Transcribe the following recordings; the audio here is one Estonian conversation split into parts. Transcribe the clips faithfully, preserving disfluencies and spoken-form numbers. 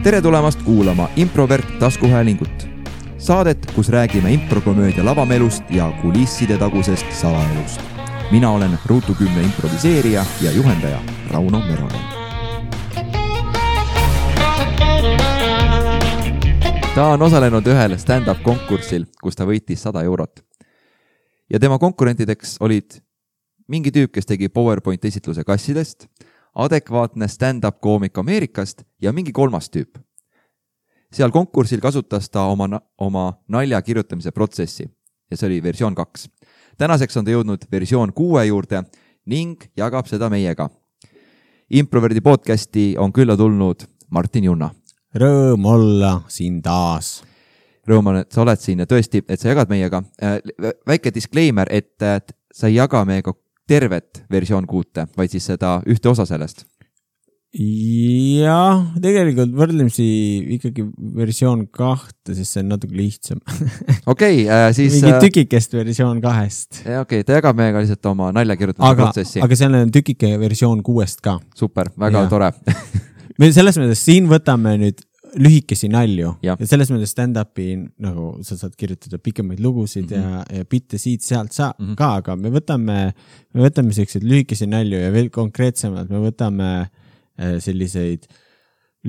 tere tulemast kuulama Improvert taskuhäälingut. Saadet, kus räägime improkomöödia lavamelust ja kulisside tagusest salaelust. Mina olen Ruutu kümne improviseerija ja juhendaja Rauno Meronen. Ta on osalenud ühel stand-up konkursil, kus ta võitis sada eurot. Ja tema konkurentideks olid mingi tüüp, kes tegi PowerPoint esitluse kassidest, adekvaatne stand-up koomik Ameerikast ja mingi kolmas tüüp. Seal konkursil kasutas ta oma, oma nalja kirjutamise protsessi ja see oli versioon kaks. Tänaseks on ta jõudnud versioon kuue juurde ning jagab seda meiega. Improverdi podcasti on külla tulnud Martin Junna. Rõõm olla siin taas. Rõõm on, et sa oled siin ja tõesti, et sa jagad meiega. Väike disclaimer, et sa ei jaga meiega tervet versioon kuute, vaid siis seda ühte osa sellest. Jah, tegelikult võrdlemisi ikkagi versioon kahte, sest see on natuke lihtsam. Okei, okay, siis... Mingi tükikest versioon kahest. Okei, okay, ta jagab meiega lihtsalt oma nalja kirjutamise aga, protsessi. Aga seal on tükike versioon kuuest ka. Super, väga ja. Tore. Me selles mõttes siin võtame nüüd lühikesi nalju ja, ja selles mõttes stand-upi nagu sa saad kirjutada pikemaid lugusid mm-hmm. ja, ja bitte siit sealt sa mm-hmm. ka, aga me võtame, me võtame selliseid lühikesi nalju ja veel konkreetsemalt me võtame selliseid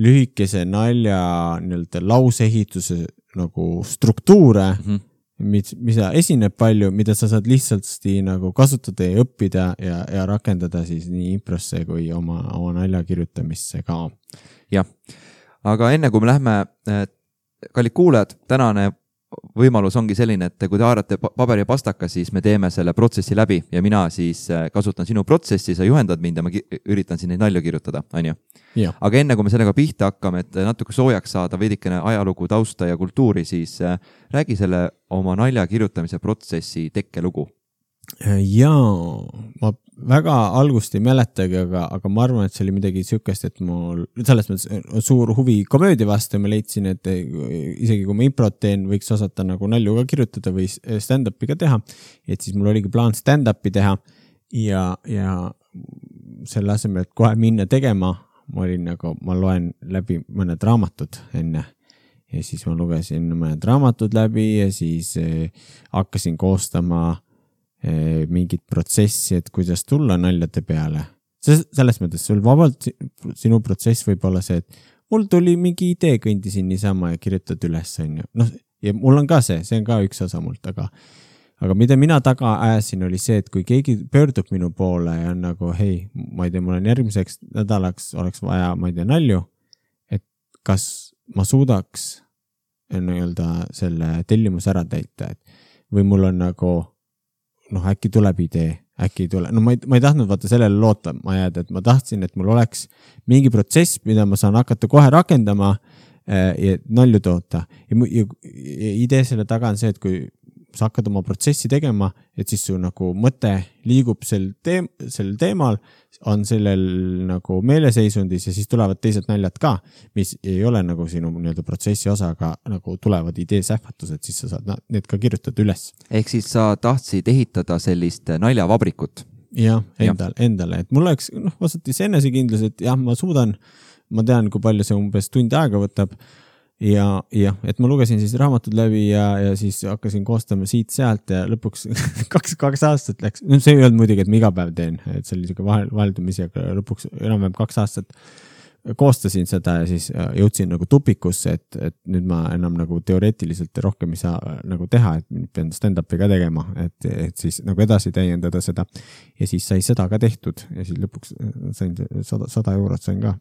lühikese nalja nii-öelda lausehituse nagu struktuure, mm-hmm. mis, mida esineb palju, mida sa saad lihtsalt nagu kasutada ja õppida ja, ja rakendada siis nii improsse kui oma, oma nalja kirjutamisse ka. Jah. Aga enne kui me lähme, kallid kuulajad, tänane võimalus ongi selline, et kui te haarate paber ja pastaka, siis me teeme selle protsessi läbi ja mina siis kasutan sinu protsessi, sa juhendad mind ja ma üritan siin neid nalju kirjutada, on ju? Ja. Aga enne kui me sellega pihta hakkame, et natuke soojaks saada veidikene ajalugu, tausta ja kultuuri, siis räägi selle oma nalja kirjutamise protsessi tekkelugu. Jaa, ma väga algust ei mäletagi, aga, aga ma arvan, et see oli midagi sükest, et mul selles mõttes suur huvi komöödia vastu ja ma leidsin, et isegi kui ma improt teen, võiks osata nagu nalju ka kirjutada või stand-upi ka teha, et siis mul oligi plaan stand-upi teha ja, ja selle asemel, et kohe minna tegema, ma olin nagu, ma loen läbi mõned raamatud enne ja siis ma lugesin mõned raamatud läbi ja siis eh, hakkasin koostama mingit protsessi, et kuidas tulla naljade peale. Selles mõttes sul vabalt sinu protsess võib olla see, et mul tuli mingi idee kõndisin niisama ja kirjutad üles. No, ja mul on ka see, see on ka üks osa mult, aga, aga mida mina taga ajasin oli see, et kui keegi pöördub minu poole ja on nagu, hei, ma ei tea, mul on järgmiseks nädalaks oleks vaja, ma ei tea, nalju, et kas ma suudaks nii-öelda selle tellimus ära täita, et või mul on nagu noh, äkki tuleb idee, äkki ei tule. No ma ei, ma ei tahtnud vaata sellele loota ma jääda, et ma tahtsin, et mul oleks mingi protsess, mida ma saan hakata kohe rakendama ja nalju toota. Ja, ja, ja idee selle taga on see, et kui sa hakkad oma protsessi tegema, et siis su nagu mõte liigub sel, teem, sel teemal, on sellel nagu meeleseisundis ja siis tulevad teised naljad ka, mis ei ole nagu sinu nii-öelda protsessi osa, aga nagu tulevad idee sähvatused, siis sa saad need ka kirjutada üles. Ehk siis sa tahtsid ehitada sellist naljavabrikut? Jah, endal, ja. endale. Et mul oleks noh, vasatis enesekindlus, et jah, ma suudan, ma tean, kui palju see umbes tund aega võtab ja, ja, et ma lugesin siis raamatud läbi ja, ja siis hakkasin koostama siit sealt ja lõpuks kaks, kaks aastat läks. No, see ei olnud muidugi, et ma iga päev teen, et see oli vahel, vaheldumisi, aga lõpuks enam-vähem kaks aastat koostasin seda ja siis jõudsin nagu tupikusse, et, et nüüd ma enam nagu teoreetiliselt rohkem ei saa nagu teha, et pean stand-upi ka tegema, et, et siis nagu edasi täiendada seda ja siis sai seda ka tehtud ja siis lõpuks sain sada, sada eurot sain ka.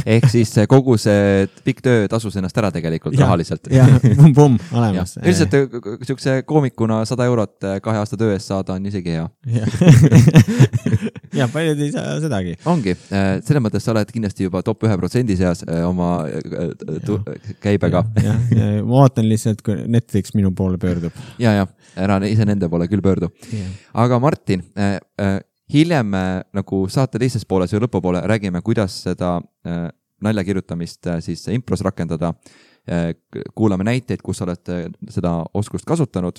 Ehk siis kogu see pikk töö tasus ennast ära tegelikult ja, rahaliselt. Jah, pum-pum, olemas. Ja. Üldiselt niisuguse koomikuna sada eurot kahe aasta töö eest saada on isegi hea. Ja paljud ei saa sedagi. Ongi, selle mõttes sa oled kindlasti juba top ühe protsendi seas oma tu- käibega. Ja, ja, ja ma ootan lihtsalt, kui Netflix minu poole pöördub. Ja, ja, ära ise nende poole küll pöördu. Ja. Aga Martin, äh, äh, hiljem äh, nagu saate teises pooles või lõpupoole räägime, kuidas seda äh, nalja kirjutamist äh, siis impros rakendada. Äh, kuulame näiteid, kus olete seda oskust kasutanud.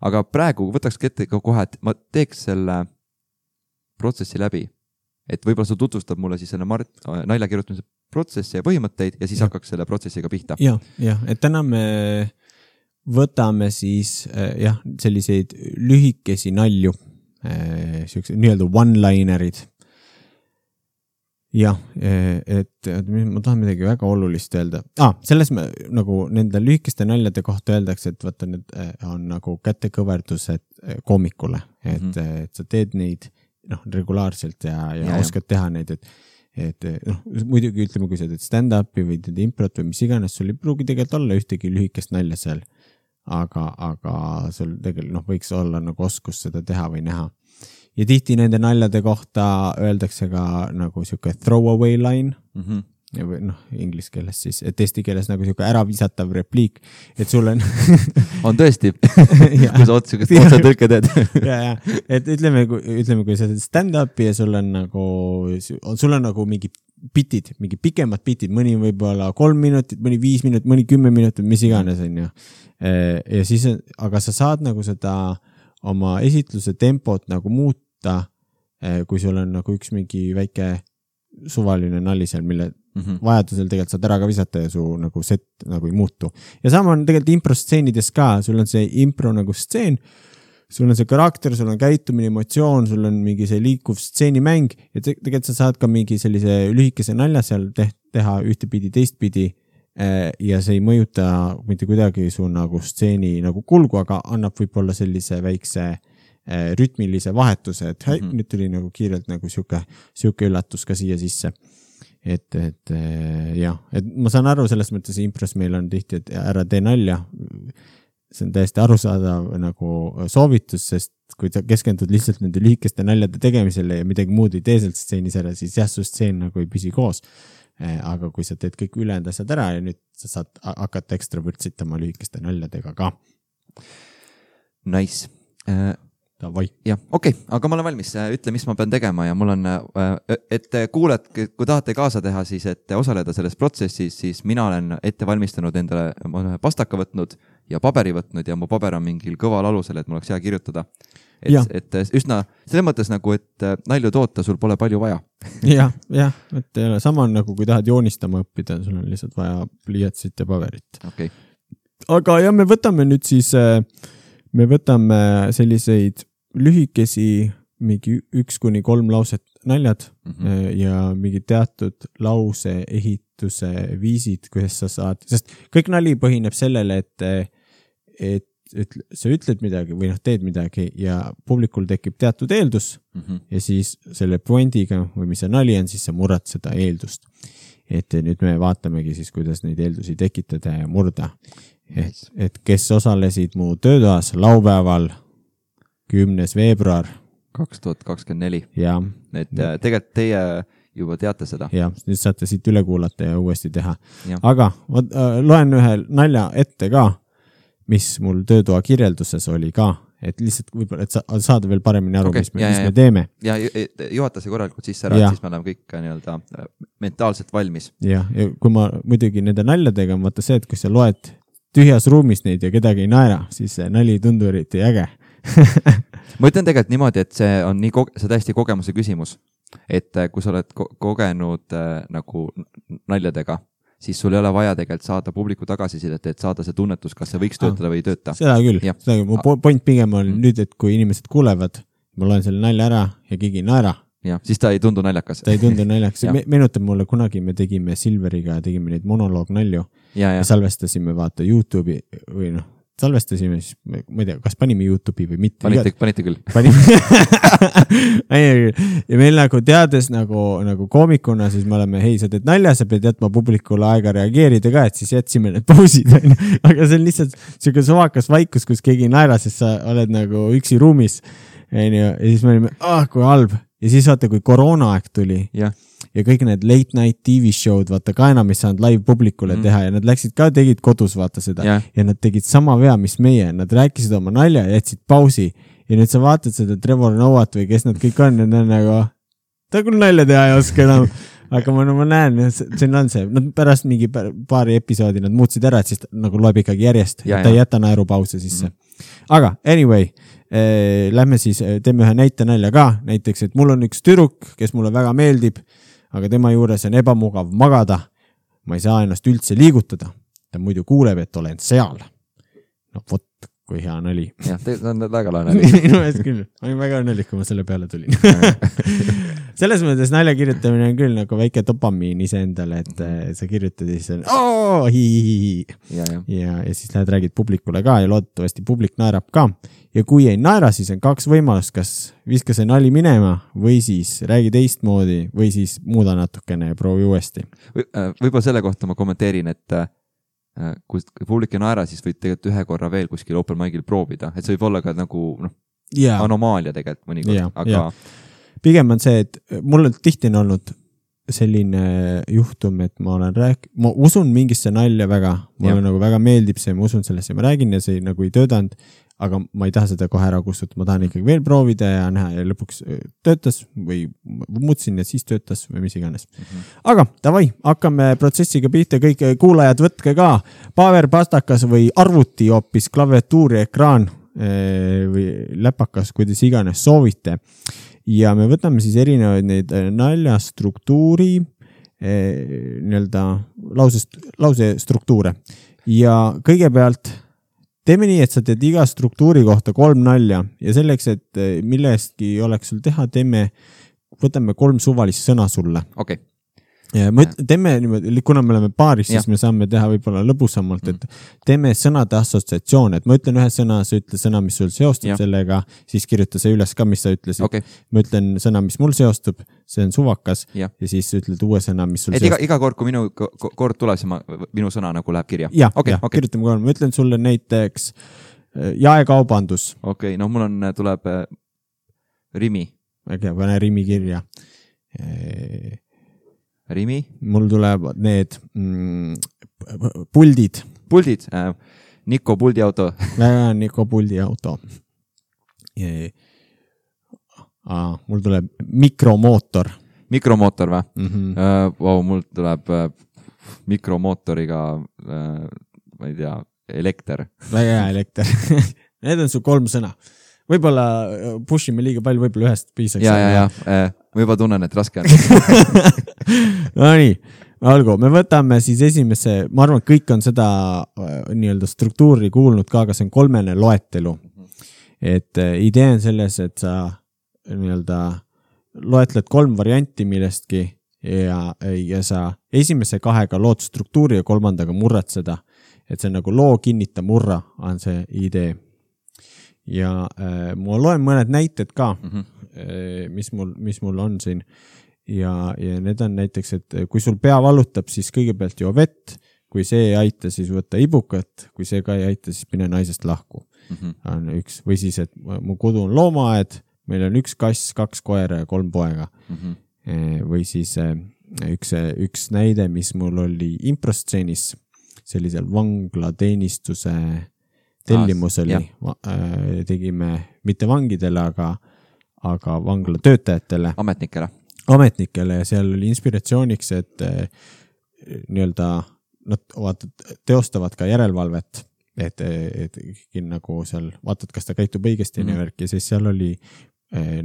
Aga praegu võtaks ette kohe, et ma teeks selle protsessi läbi. Et võib-olla sa tutvustad mulle siis selle Mart, nalja kirjutamise protsesse ja põhimõtteid ja siis ja. hakkaks selle protsessiga pihta. jah, jah, et täna me võtame siis jah, selliseid lühikesi nalju, nii-öelda one-linerid. jah, et, et ma tahan midagi väga olulist öelda. Ah, selles me nagu nende lühikeste naljade kohta öeldakse, et vaata, need on nagu kätekõverdused koomikule, et, mm-hmm. et sa teed neid noh, regulaarselt ja, ja, ja oskad teha neid, et et noh, muidugi ütleme, kui sa teed stand-upi või teed improt või mis iganes, sul ei pruugi tegelikult olla ühtegi lühikest nalja seal, aga, aga sul tegelikult noh, võiks olla nagu oskus seda teha või näha. Ja tihti nende naljade kohta öeldakse ka nagu siuke throwaway line, mm-hmm. või noh, inglise keeles siis, et eesti keeles nagu siuke ära visatav repliik, et sul on on tõesti, kui sa otsa, kas otsa tõlke teed. ja, ja, et ütleme, ütleme, kui sa teed stand-upi ja sul on nagu, sul on nagu mingi bitid, mingi pikemad bitid, mõni võib-olla kolm minutit, mõni viis minutit, mõni kümme minutit, mis iganes on ju. Ja siis, aga sa saad nagu seda oma esitluse tempot nagu muuta, kui sul on nagu üks mingi väike suvaline nali seal, mille mm-hmm. vajadusel tegelikult saad ära ka visata ja su nagu set nagu ei muutu. Ja sama on tegelikult impro-stseenides ka, sul on see impro nagu stseen, sul on see karakter, sul on käitumine, emotsioon, sul on mingi see liikuv stseenimäng ja te- tegelikult sa saad ka mingi sellise lühikese nalja seal te- teha ühtepidi, teistpidi ja see ei mõjuta mitte kuidagi su nagu stseeni nagu kulgu, aga annab võib-olla sellise väikse rütmilise vahetuse, et hei, mm-hmm. nüüd tuli nagu kiirelt nagu siuke, siuke üllatus ka siia sisse. Et, et jah, et ma saan aru selles mõttes impros meil on tihti, et ära tee nalja. See on täiesti arusaadav nagu soovitus, sest kui sa keskendud lihtsalt nende lühikeste naljade tegemisele ja midagi muud ei tee sealt stseenis ära, siis jah, su stseen nagu ei püsi koos. Aga kui sa teed kõik ülejäänud asjad ära ja nüüd sa saad hakata ekstra vürtsitama lühikeste naljadega ka. Nice. Uh... Davai. jah, okei, okay, aga ma olen valmis, ütle, mis ma pean tegema ja mul on, et kuuled, kui tahate kaasa teha, siis et osaleda selles protsessis, siis mina olen ette valmistanud endale, ma olen pastaka võtnud ja paberi võtnud ja mu paber on mingil kõval alusel, et mul oleks hea kirjutada. Et, et üsna, selles mõttes nagu, et nalju toota, sul pole palju vaja. jah, jah, et ei ole sama on nagu, kui tahad joonistama õppida, sul on lihtsalt vaja pliiatsit ja paberit. Okay. Aga jah, me võtame nüüd siis... me võtame selliseid lühikesi, mingi üks kuni kolm lauset naljad mm-hmm. ja mingi teatud lause ehituse viisid, kuidas sa saad, sest kõik nali põhineb sellele, et, et, et sa ütled midagi või noh, teed midagi ja publikul tekib teatud eeldus mm-hmm. ja siis selle pointiga või mis see nali on, siis sa murrad seda eeldust. Et nüüd me vaatamegi siis, kuidas neid eeldusi tekitada ja murda. Et, et kes osalesid mu töötoas laupäeval kümnes veebruar kaks tuhat kakskümmend neli. Ja. Et tegelikult teie juba teate seda. Ja, nüüd saate siit üle kuulata ja uuesti teha. Ja. Aga ma loen ühe nalja ette ka, mis mul töötoa kirjelduses oli ka, et lihtsalt võib-olla, et sa, saada veel paremini aru, okay, mis, me, ja, mis ja, me teeme. Ja juhata see korralikult sisse ära, siis me oleme kõik nii-öelda mentaalselt valmis. Ja, ja kui ma muidugi nende naljadega on vaata see, et kui sa loed tühjas ruumis neid ja kedagi ei naera, siis see nali tundu eriti äge. ma ütlen tegelikult niimoodi, et see on nii koge- see täiesti kogemuse küsimus, et kui sa oled ko- kogenud äh, nagu naljadega, siis sul ei ole vaja tegelikult saada publiku tagasisidet, et saada see tunnetus, kas see võiks töötada ah, või ei tööta. Seda küll, seda küll. Mu point pigem on mm. nüüd, et kui inimesed kuulevad, ma loen selle nalja ära ja keegi ei naera. Ja, siis ta ei tundu naljakas. Ta ei tundu naljakas. Me, meenutab mulle kunagi, me tegime Silveriga, tegime neid monoloognalju ja, ja. ja salvestasime vaata YouTube'i või noh, salvestasime siis, ma ei tea, kas panime YouTube'i või mitte. Panite, panite küll. Panime. ja meil nagu teades nagu, nagu koomikuna, siis me oleme, hei, sa teed nalja, sa pead jätma publikule aega reageerida ka, et siis jätsime need pausid. Aga see on lihtsalt siuke suvakas vaikus, kus keegi ei naera, sest sa oled nagu üksi ruumis. Ja siis me olime, ah, kui halb. Ja siis vaata, kui koroonaaeg tuli ja. ja kõik need late night T V show'd, vaata ka enam ei saanud live publikule mm. teha ja nad läksid ka, tegid kodus vaata seda ja. ja nad tegid sama vea, mis meie, nad rääkisid oma nalja ja jätsid pausi ja nüüd sa vaatad seda Trevor Noat või kes nad kõik on ja nad on nagu, ta küll nalja teha ei oska enam, aga ma, no, ma näen, see on see, nad pärast mingi paari episoodi nad muutsid ära, et siis nagu loeb ikkagi järjest, ja, ta ei jäta naerupause sisse mm. aga anyway Lähme siis, teeme ühe näite nalja ka, näiteks, et mul on üks tüdruk, kes mulle väga meeldib, aga tema juures on ebamugav magada. Ma ei saa ennast üldse liigutada. Ta muidu kuuleb, et olen seal. No vot, kui hea nali. Jah, see on väga lahe nali. Minu eest küll. Ma olin väga õnnelik, kui ma selle peale tulin. Selles mõttes nalja kirjutamine on küll nagu väike dopamiin ise endale, et sa kirjutad ja siis on ooo, hii, ja, ja. Ja, ja siis lähed räägid publikule ka ja loodetavasti publik naerab ka. Ja kui ei naera, siis on kaks võimalust, kas viska see nali minema või siis räägi teistmoodi või siis muuda natukene ja proovi uuesti. Või, võib-olla selle kohta ma kommenteerin, et kui publik ei naera, siis võid tegelikult ühe korra veel kuskil open mic'il proovida, et see võib olla ka nagu noh, ja. anomaalia tegelikult mõnikord, ja, aga ja. Pigem on see, et mul on tihti on olnud selline juhtum, et ma olen rääk-, ma usun mingisse nalja väga, mulle nagu väga meeldib see, ma usun sellesse, ma räägin ja see nagu ei töötanud, aga ma ei taha seda kohe ära kustuda, ma tahan ikkagi veel proovida ja näha ja lõpuks töötas või muutsin ja siis töötas või mis iganes. Mm-hmm. Aga davai, hakkame protsessiga pihta, kõik kuulajad võtke ka paber, pastakas või arvuti hoopis klaviatuuri ekraan või läpakas, kuidas iganes soovite. Ja me võtame siis erinevaid neid naljastruktuuri nii-öelda lause, lause struktuure ja kõigepealt teeme nii, et sa teed iga struktuuri kohta kolm nalja ja selleks, et millestki oleks sul teha, teeme, võtame kolm suvalist sõna sulle. Okay. Ja me teeme niimoodi, kuna me oleme paaris, siis ja. Me saame teha võib-olla lõbusamalt, et teeme sõnade assotsiatsioon, et ma ütlen ühe sõna, sa ütle sõna, mis sul seostub ja. Sellega, siis kirjuta see üles ka, mis sa ütlesid. Okay. Ma ütlen sõna, mis mul seostub, see on suvakas ja, ja siis ütled uue sõna, mis sul et seostub. Iga, iga kord, kui minu kord tuleb, siis ma, minu sõna nagu läheb kirja. Ja, okay, ja okay. Kirjutame kolm. Ma ütlen sulle näiteks jaekaubandus. Okei, okay, no mul on, tuleb äh, Rimi. Okay, pane Rimi kirja. Rimi. Mul tuleb need mm, puldid. Puldid. Äh, Niko puldiauto. Väga Niko puldiauto. Ah, mul tuleb mikromootor. Mikromootor või? Mm-hmm. Uh, wow, mul tuleb uh, mikromootoriga, uh, ma ei tea, elekter. Väga hea elekter. Need on su kolm sõna. Võib-olla pushime liiga palju, võib-olla ühest piisaks. Ja, ja, ja. Uh, ma juba tunnen, et raske on. No nii, algu. Me võtame siis esimese, ma arvan, kõik on seda nii-öelda struktuuri kuulnud ka, aga see on kolmene loetelu. Et idee on selles, et sa nii-öelda loetled kolm varianti millestki ja, ja sa esimese kahega lood struktuuri ja kolmandaga murrad seda. Et see nagu loo kinnita murra on see idee. Ja äh, ma loen mõned näited ka, mm-hmm. äh, mis, mul, mis mul on siin. Ja, ja need on näiteks, et kui sul pea valutab, siis kõigepealt joo vett. Kui see ei aita, siis võtta ibukat. Kui see ka ei aita, siis mine naisest lahku. Mm-hmm. On üks. Või siis, et mu kodu on loomaaed, meil on üks kass, kaks koera ja kolm poega. Mm-hmm. Või siis üks, üks näide, mis mul oli improstseenis, sellisel vanglateenistuse tellimus oli, tegime mitte vangidele, aga, aga vangla töötajatele. Ametnikele. Ametnikele ja seal oli inspiratsiooniks, et nii-öelda nad vaatad, teostavad ka järelevalvet, et, et nagu seal vaatad, kas ta käitub õigesti mm-hmm. ja värk ja siis seal oli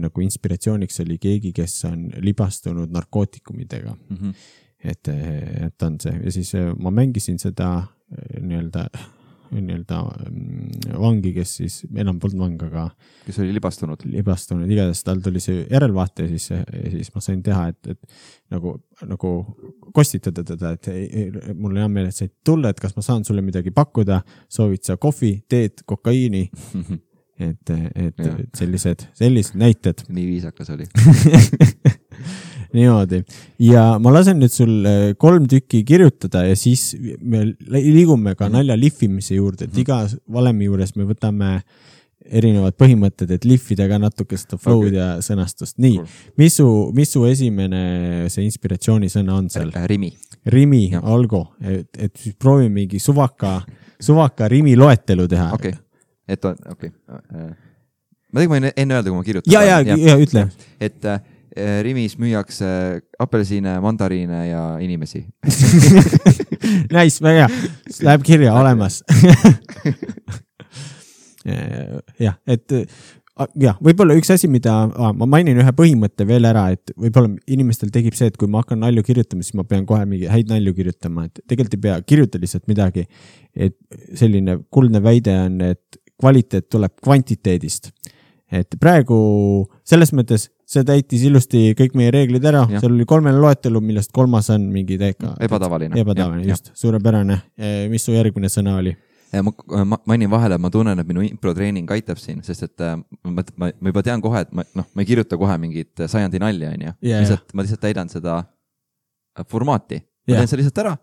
nagu inspiratsiooniks oli keegi, kes on libastunud narkootikumidega. Mm-hmm. Et, et on see ja siis ma mängisin seda nii-öelda nii-öelda vangi, kes siis enam polnud vang, aga kes oli libastunud. Libastunud, igatahes tal tuli see järelvaate ja siis, ja siis ma sain teha, et, et nagu, nagu kostitada teda, et ei, mul on hea meel, et said tulla, et kas ma saan sulle midagi pakkuda, soovid sa kohvi, teed, kokaiini, et, et, et sellised, sellised näited. Nii viisakas oli. Niimoodi. Ja ma lasen nüüd sul kolm tükki kirjutada ja siis me liigume ka nalja lihvimise juurde, et iga valemi juures me võtame erinevad põhimõtted, et lihvida ka natuke seda flow'd okay. ja sõnastust. Nii, mis su, mis su esimene see inspiratsioonisõna on seal? Rimi. Rimi, olgu, et, et siis proovime mingi suvaka, suvaka rimi loetelu teha. Okei, okay. et on, okei. Okay. Ma tegin ma enne öelda, kui ma kirjutan. Ja, ja, ja, ja ütle. Et Rimis müüakse apelsine, mandariine ja inimesi. Nice, väga hea. Läheb kirja olemas. Jah, et jah, võib-olla üks asi, mida ah, ma mainin ühe põhimõtte veel ära, et võib-olla inimestel tegib see, et kui ma hakkan nalju kirjutama, siis ma pean kohe mingi häid nalju kirjutama, et tegelikult ei pea kirjuta lihtsalt midagi. Et selline kuldne väide on, et kvaliteet tuleb kvantiteedist. Et praegu selles mõttes see täitis ilusti kõik meie reeglid ära, ja. Seal oli kolmene loetelu, millest kolmas on mingi täiega ebatavaline. Ebatavaline, ja, just, ja. Suurepärane. Mis su järgmine sõna oli? Ma, ma mainin vahele, ma tunnen, et minu improtreening aitab siin, sest et ma, ma, ma juba tean kohe, et ma, no, ma ei kirjuta kohe mingit sajandi nalja, on ju. Yeah, lihtsalt, yeah. Ma lihtsalt täidan seda formaati. Ma yeah. teen see lihtsalt ära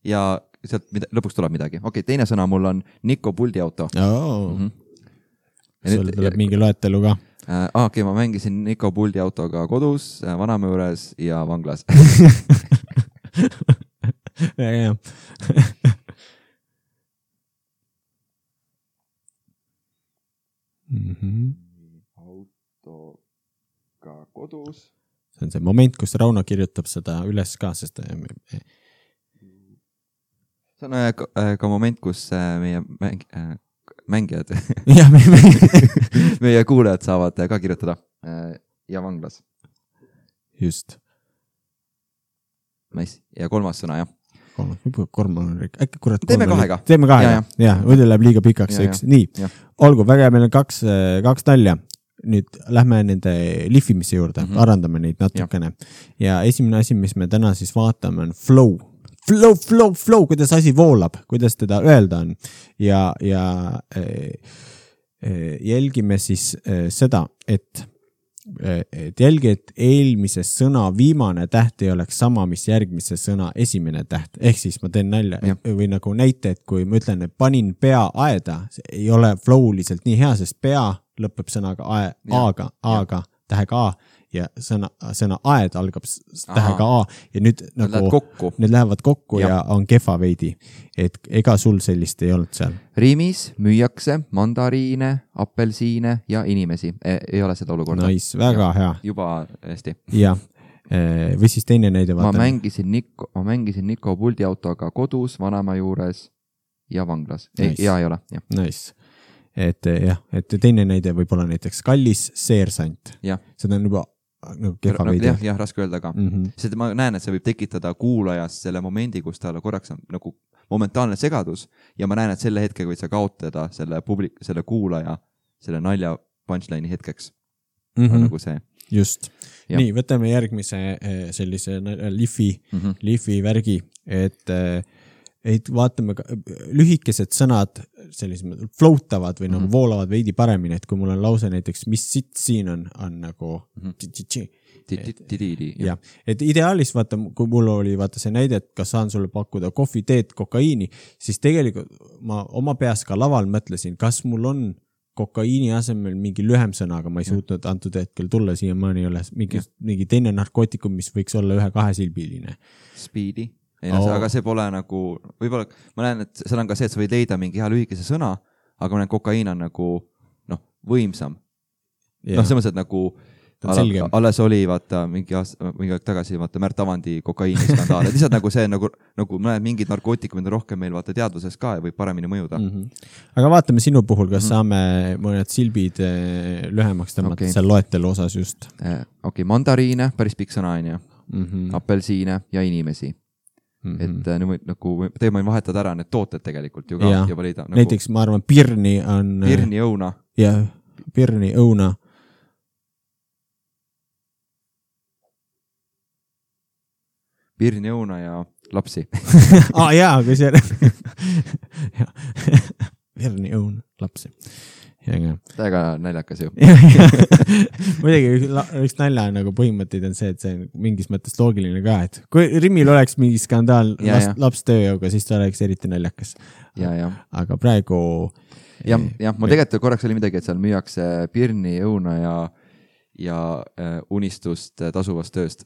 ja sealt mida, lõpuks tuleb midagi. Okei, teine sõna mul on Niko puldiauto. Oh. Mm-hmm. Sul nüüd, tuleb ja, mingi loetelu ka. Äh, okei, ma mängisin Niko puldiautoga kodus, vanamäe juures ja vanglas. ja, ja. Mm-hmm. autoga kodus. See on see moment, kus Rauno kirjutab seda üles ka, sest see on ka, ka moment, kus meie mäng, mängijad ja, meie, meie kuulajad saavad ka kirjutada ja vanglas. Just. Nice. Ja kolmas sõna, jah. Kolmas, äkki kurat. Teeme kahega. Teeme kahega, ja, ja. Võidu läheb liiga pikaks. Ja, üks. Ja. Nii, ja. Olgu, väga meil on kaks, kaks nalja. Nüüd lähme nende lihvimise juurde, mm-hmm. arandame neid natukene. Ja. ja esimene asi, mis me täna siis vaatame, on flow. Flow, flow, flow, kuidas asi voolab, kuidas teda öelda on. Ja, ja e, e, jälgime siis e, seda, et et jälgi, et eelmise sõna viimane täht ei oleks sama, mis järgmise sõna esimene täht. Ehk siis ma teen nalja ja. Või nagu näite, et kui ma ütlen, et panin pea aeda, ei ole flowliselt nii hea, sest pea lõpeb sõnaga ae, A-ga, A-ga, tähega A ja sõna, sõna aed algab tähega A ja nüüd need nagu kokku. Need lähevad kokku ja, ja on kehva veidi. Et ega sul sellist ei olnud seal? Riimis müüakse mandariine, apelsiine ja inimesi. Ei, ei ole seda olukorda. Nice, väga ja, hea. Juba hästi. Ja, või siis teine näide vaatame. Ma mängisin Niko, ma mängisin Niko puldiautoga kodus, vanaema juures ja vanglas. Nice. Ei, ja ei ole. Ja. Nice. Et jah, et teine näide võib olla näiteks kallis seersant. Ja. Seda on juba nagu kehva veidi. Jah, jah, raske öelda ka. Mm-hmm. Sest ma näen, et see võib tekitada kuulajas selle momendi, kus tal korraks on nagu momentaalne segadus ja ma näen, et selle hetke võid sa kaotada selle, publik, selle kuulaja, selle nalja punchline'i hetkeks. Mm-hmm. Nagu see. Just. Ja. Nii, võtame järgmise sellise lifi, mm-hmm. lifi värgi, et et vaatame, lühikesed sõnad sellised floatavad või mm-hmm. nagu voolavad veidi paremini, et kui mul on lause näiteks, mis sitt siin on, on nagu mm-hmm. ja, et ideaalis vaata, kui mul oli vaata see näide, et kas saan sulle pakkuda kohvi, teed, kokaiini, siis tegelikult ma oma peas ka laval mõtlesin, kas mul on kokaiini asemel mingi lühem sõna, aga ma ei suutnud antud hetkel tulla siia, ma ei ole mingi, mingi teine narkootikum, mis võiks olla ühe kahesilbiline. Speedi. Ei, no, oh. Aga see pole nagu, võib-olla ma näen, et seal on ka see, et sa võid leida mingi hea lühikese sõna, aga ma näen, kokaiin on nagu noh, võimsam. Yeah. Noh, see mõttes, et nagu ala, alles oli, vaata, mingi, aasta, mingi aeg tagasi, vaata, Märt Avandi kokaiini skandaal. Et lihtsalt nagu see, nagu, nagu ma näen, mingid narkootikumid on rohkem meil, vaata, teadvuses ka ja võib paremini mõjuda. Mm-hmm. Aga vaatame sinu puhul, kas mm-hmm. saame mõned silbid lühemaks tõmmata okay. seal loetelu osas just. Okei, okay, mandariine, päris pikk sõna on ju. Mm-hmm. Apelsiine ja inimesi. Mm-hmm. Et nüüd nagu, teie võin vahetada ära need tooted tegelikult ju ka ja, juba leida. Nagu, näiteks ma arvan, pirni on... Pirni õuna. Jah, pirni õuna. Pirni õuna ja lapsi. ah, jaa, kui see... pirni õuna, lapsi. Täiega naljakas ju. Muidugi üks nalja nagu põhimõtteid on see, et see on mingis mõttes loogiline ka, et kui Rimil oleks mingi skandaal ja, laps, laps tööjõuga, siis ta oleks eriti naljakas. Ja, ja. Aga praegu... Jah, ja, ma tegelikult korraks oli midagi, et seal müüakse pirni, õuna ja, ja äh, unistust tasuvast tööst.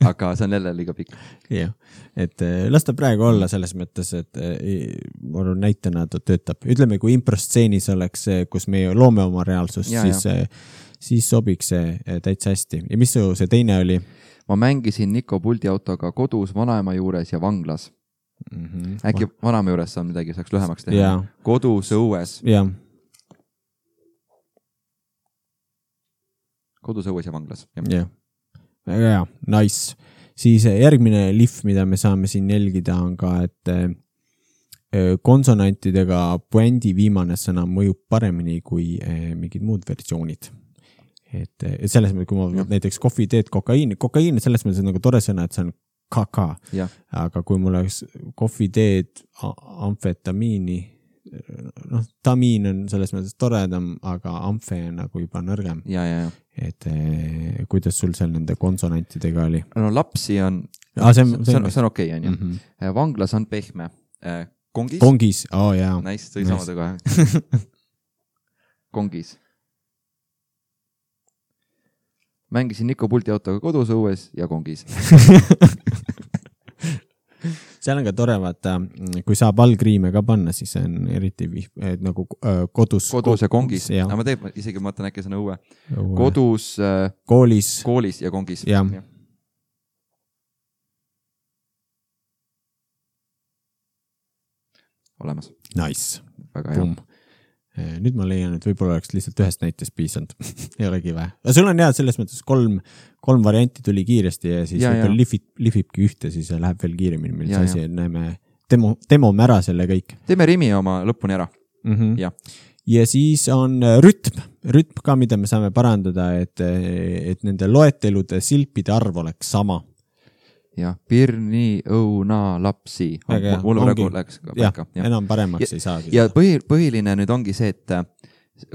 Aga see on jälle liiga pikk. Jah, et las ta praegu olla selles mõttes, et ma arvan näitena ta töötab. Ütleme, kui improstseenis oleks, kus me loome oma reaalsust, ja, siis, ja. siis sobiks see täitsa hästi. Ja mis see teine oli? Ma mängisin Niko puldiautoga kodus, vanaema juures ja vanglas. Mm-hmm. Äkki vanaema juures on midagi, saaks lühemaks teha. Ja. Kodus, õues. Jah. kodus, õues ja vanglas. jah, väga hea, nice. Siis järgmine lihv, mida me saame siin jälgida, on ka, et konsonantidega puändi viimane sõna mõjub paremini kui mingid muud versioonid. Et, et selles mõttes, kui ma ja. näiteks kohvi, teed, kokaiin, kokaiin selles mõttes on nagu tore sõna, et see on kaka, aga kui mul oleks kohvi, teed, amfetamiini, noh, tamiin on selles mõttes toredam, aga amfe on nagu juba nõrgem. Ja, ja, ja. Et eh, kuidas sul seal nende konsonantidega oli? No lapsi on, ah, see on, see on, see on okei, on ju. Mm -hmm. Vanglas on pehme. Kongis? Kongis, oo oh, jaa. Nice, tõi nice. Samade kohe. Kongis. Mängisin Niko Pulti autoga kodus, õues ja kongis. Seal on ka tore, vaata, kui saab allkriime ka panna, siis on eriti vih, et nagu äh, kodus. Kodus ja kongis. Aga ma teeb, isegi ma mõtlen äkki sõna õue. õue. Kodus, äh, koolis. koolis ja kongis. Ja. Ja. Olemas. Nice. Väga hea. Nüüd ma leian, et võib-olla oleks lihtsalt ühest näitest piisanud. Ei olegi vähe. Sul on hea, selles mõttes kolm, kolm varianti tuli kiiresti ja siis ja, võib-olla lifib, lifibki ühte, siis läheb veel kiiremini. Meil see asi, näeme, demo, demome ära selle kõik. Teeme rimi oma lõpuni ära. Mm -hmm. ja. ja siis on rütm. Rütm ka, mida me saame parandada, et, et nende loetelude silpide arv oleks sama. Ja, pirni, õuna, lapsi. Mul praegu läks ka paika. Ja, enam paremaks ja, ei saagi. Ja põhi, põhiline nüüd ongi see, et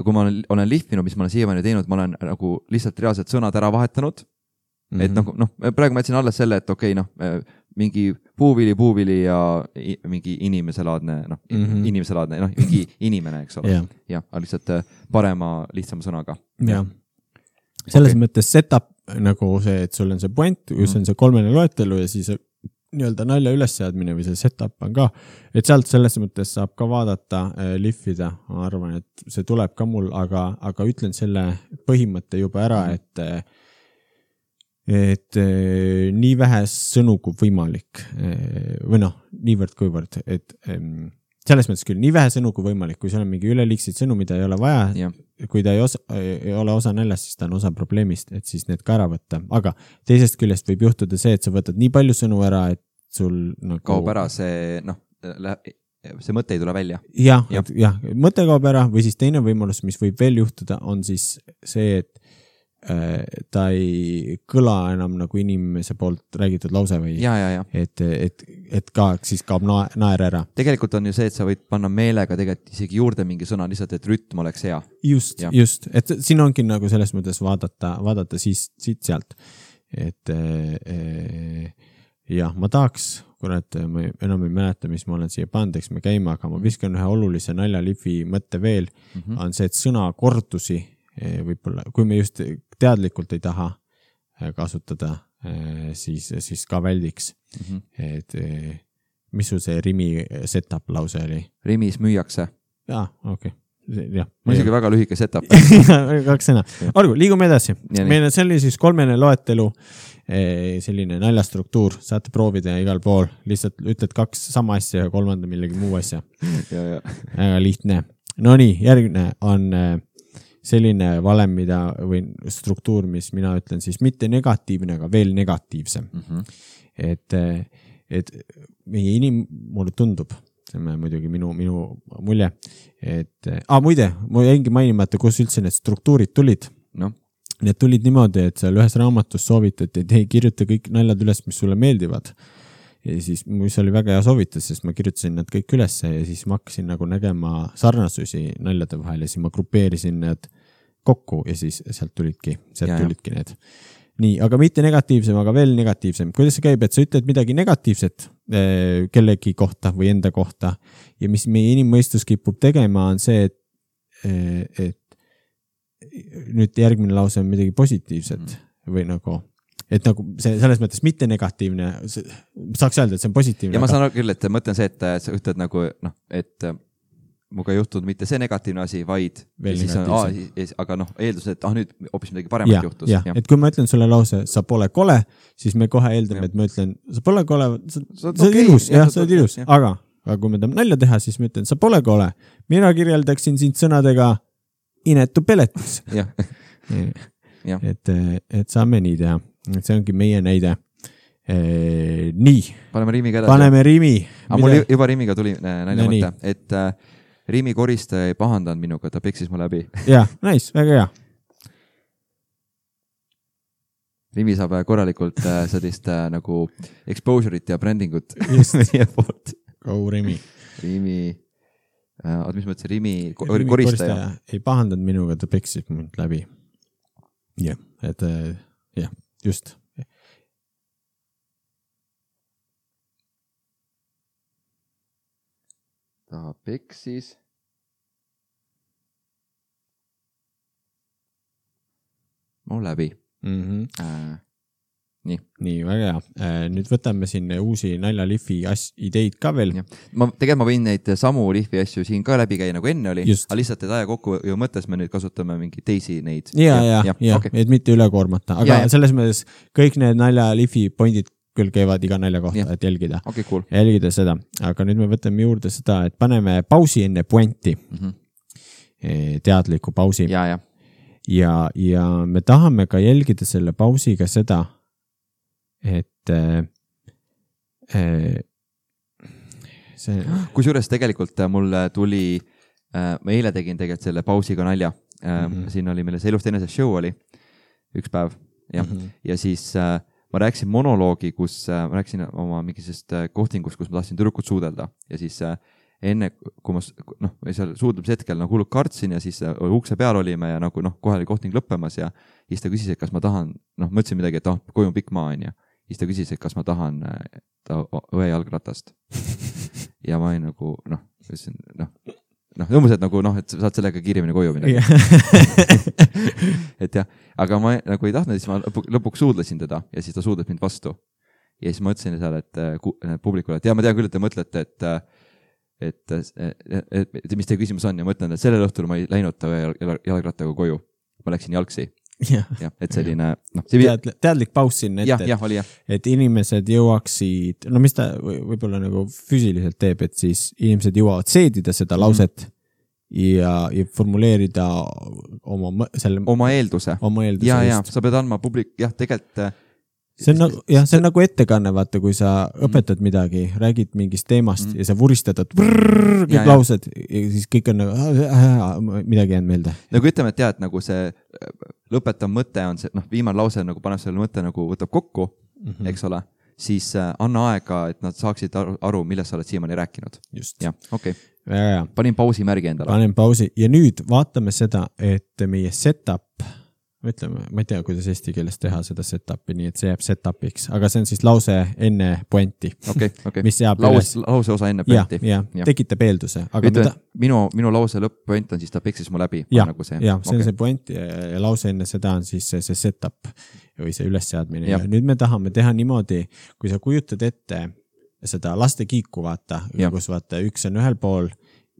kui ma olen, olen lihvinud, mis ma olen siiamaani teinud, ma olen nagu lihtsalt reaalselt sõnad ära vahetanud. Mm -hmm. Et nagu, noh, praegu ma jätsin alles selle, et okei, okay, noh, mingi puuvili, puuvili ja mingi inimeselaadne, noh, mm -hmm. inimeselaadne, noh, mingi inimene, eks ole. Yeah. Ja, lihtsalt parema, lihtsama sõnaga. Ja. Selles okay. mõttes setup nagu see, et sul on see point, kus on see kolmene loetelu ja siis nii-öelda nalja ülesseadmine või see setup on ka, et sealt selles mõttes saab ka vaadata, äh, lihvida, ma arvan, et see tuleb ka mul, aga, aga ütlen selle põhimõtte juba ära, et et äh, nii vähe sõnu kui võimalik äh, või noh, niivõrd kuivõrd, et ähm, selles mõttes küll, nii vähe sõnu kui võimalik, kui seal on mingi üleliigseid sõnu, mida ei ole vaja, ja. kui ta ei, osa, ei ole osa näljast, siis ta on osa probleemist, et siis need ka ära võtta. Aga teisest küljest võib juhtuda see, et sa võtad nii palju sõnu ära, et sul nagu... kaob ära see, noh, see mõte ei tule välja. Jah, ja. jah, mõte kaob ära või siis teine võimalus, mis võib veel juhtuda, on siis see, et äh, ta ei kõla enam nagu inimese poolt räägitud lause või ja, ja, ja. Et, et, et ka siis kaob na- naer ära. Tegelikult on ju see, et sa võid panna meelega tegelikult isegi juurde mingi sõna, lihtsalt, et rütm oleks hea. Just, ja. just, et siin ongi nagu selles mõttes vaadata, vaadata siis, siit sealt, et äh, jah, ma tahaks, kurat, ma enam ei mäleta, mis ma olen siia pandeks, me käime, aga ma viskan ühe olulise naljalifi mõtte veel, mm -hmm. on see, et sõna kordusi võib-olla, kui me just teadlikult ei taha kasutada, siis, siis ka väldiks. Mm -hmm. Et mis sul see rimi setup lause oli? Rimis müüakse. Jaa, okei. Okay. Ja, ma isegi väga lühike setup. Kaks sõna. Olgu, liigume edasi. Meil see oli siis kolmene loetelu, selline naljastruktuur, saate proovida igal pool, lihtsalt ütled kaks sama asja ja kolmanda millegi muu asja. ja, ja. Väga lihtne. No nii, järgmine on selline valem, mida, või struktuur, mis mina ütlen siis mitte negatiivne, aga veel negatiivsem. Mm -hmm. Et, et meie inim, mulle tundub, see on muidugi minu, minu mulje, et, ah, muide, ma jäingi mainimata, kus üldse need struktuurid tulid. No. Need tulid niimoodi, et seal ühes raamatus soovitati, et ei kirjuta kõik naljad üles, mis sulle meeldivad. Ja siis, mis oli väga hea soovitus, sest ma kirjutasin need kõik ülesse ja siis ma hakkasin nagu nägema sarnasusi naljade vahel ja siis ma grupeerisin need kokku ja siis sealt tulidki, sealt ja, tulidki need. Nii, aga mitte negatiivsem, aga veel negatiivsem. Kuidas see käib, et sa ütled midagi negatiivset eh, kellegi kohta või enda kohta ja mis meie inimmõistus kipub tegema, on see, et, eh, et nüüd järgmine lause on midagi positiivset mm. või nagu, et nagu see, selles mõttes mitte negatiivne, saaks öelda, et see on positiivne. Ja ma saan küll, et mõtlen see, et sa ütled nagu, noh, et muga ei juhtunud mitte see negatiivne asi, vaid siis on, aa, aga noh, eeldus, et ah, nüüd hoopis midagi paremat ja, juhtus. Ja. Et kui ma ütlen sulle lause, sa pole kole, siis me kohe eeldame, et ma ütlen, sa pole kole, sa, sa oled okay, ilus, jah, sa oled ilus, aga, aga kui me tahame nalja teha, siis ma ütlen, sa pole kole. Mina kirjeldaksin sind sõnadega inetu peletis. et, et saame nii teha. Et see ongi meie näide. E, nii. Paneme Riimiga edasi. Paneme Riimi. Aga mul juba Riimiga tuli nalja no, mõte, et äh, Riimi koristaja ei pahandanud minuga, ta peksis mu läbi. Jah, nice, väga hea. Riimi saab korralikult äh, sellist äh, nagu exposure'it ja brandingut meie poolt. Go Riimi. Riimi, äh, mis mõttes Riimi, Riimi koristaja. koristaja ei pahandanud minuga, ta peksis mind läbi. Jah, et äh, jah, just. Ta peksis. Mu läbi. Mm-hmm. Äh, nii. nii, väga hea. Äh, nüüd võtame siin uusi naljalihvi as- ideid ka veel. Ma, tegelikult ma võin neid samu lihvi asju siin ka läbi käia nagu enne oli, aga lihtsalt et aja kokku ju mõttes me nüüd kasutame mingi teisi neid. Ja, ja, ja, ja okay. Et mitte üle koormata, aga ja, ja. Selles mõttes kõik need naljalihvi pointid küll käivad iga nalja kohta, ja. Et jälgida. Okay, cool. Jälgida seda, aga nüüd me võtame juurde seda, et paneme pausi enne pointi. Mm-hmm. Teadliku pausi. Ja, ja. Ja, ja me tahame ka jälgida selle pausiga seda, et äh, see... Kusjuures tegelikult mul tuli, äh, ma eile tegin tegelikult selle pausiga nalja. Äh, mm-hmm. Siin oli meile see Elust enese show oli üks päev ja, mm-hmm. ja siis äh, ma rääkisin monoloogi, kus äh, ma rääkisin oma mingisest äh, kohtingust, kus ma tahtsin tüdrukut suudelda ja siis äh, enne, kui ma noh, seal suudlemise hetkel nagu hullult kartsin ja siis ukse peal olime ja nagu noh, kohe oli kohting lõppemas ja siis ta küsis, et kas ma tahan, noh, mõtlesin midagi, et oh, koju on pikk maa on ja siis ta küsis, et kas ma tahan ta õe jalgratast. Ja ma ei nagu, noh, ütlesin, noh, noh, umbes, et nagu, noh, et saad sellega kiiremini koju minna. Et jah, aga ma nagu ei tahtnud, siis ma lõpuks suudlesin teda ja siis ta suudles mind vastu. Ja siis ma ütlesin seal, et publikule, et ja ma tean küll, et te mõtlete, et Et, et, et, et mis teie küsimus on ja ma ütlen, et sellel õhtul ma ei läinud ta jalgrattaga koju. Ma läksin jalgsi. Ja, ja, et selline, noh, see... Teadl, teadlik paus siin ette, ja, ja, oli, ja. Et inimesed jõuaksid, no mis ta võib-olla nagu füüsiliselt teeb, et siis inimesed jõuavad seedida seda lauset mm. ja, ja formuleerida oma, selle, oma eelduse. Oma eelduse ja, ja, sa pead andma publik, jah, tegelikult see on nagu, jah, see on nagu ettekanne, vaata, kui sa õpetad midagi, räägid mingist teemast mm. ja sa vuristad, et brrrr, kõik ja, laused ja siis kõik on nagu, äh, midagi jäänud meelde. Nagu ütleme, et tead, nagu see lõpetav mõte on see, noh, viimane lause nagu paneb selle mõtte nagu võtab kokku, mm-hmm. eks ole, siis äh, anna aega, et nad saaksid aru, aru millest sa oled siiamaani rääkinud. Just. Ja, okei. Okay. Panin pausi märgi endale. Panin pausi ja nüüd vaatame seda, et meie setup ütleme, ma ei tea, kuidas eesti keeles teha seda setupi, nii et see jääb setupiks, aga see on siis lause enne pointi. Okay, okay. Mis jääb Laus, lause osa enne pointi. Ja, ja, ja. Tekitab eelduse. Aga Ütle, ta... minu, minu lause lõpp-point on siis ta peksis mu läbi. Ja, nagu see. ja see okay. on see point ja lause enne seda on siis see, see setup või see ülesseadmine. Ja. Ja nüüd me tahame teha niimoodi, kui sa kujutad ette seda laste kiiku, vaata, kus vaata üks on ühel pool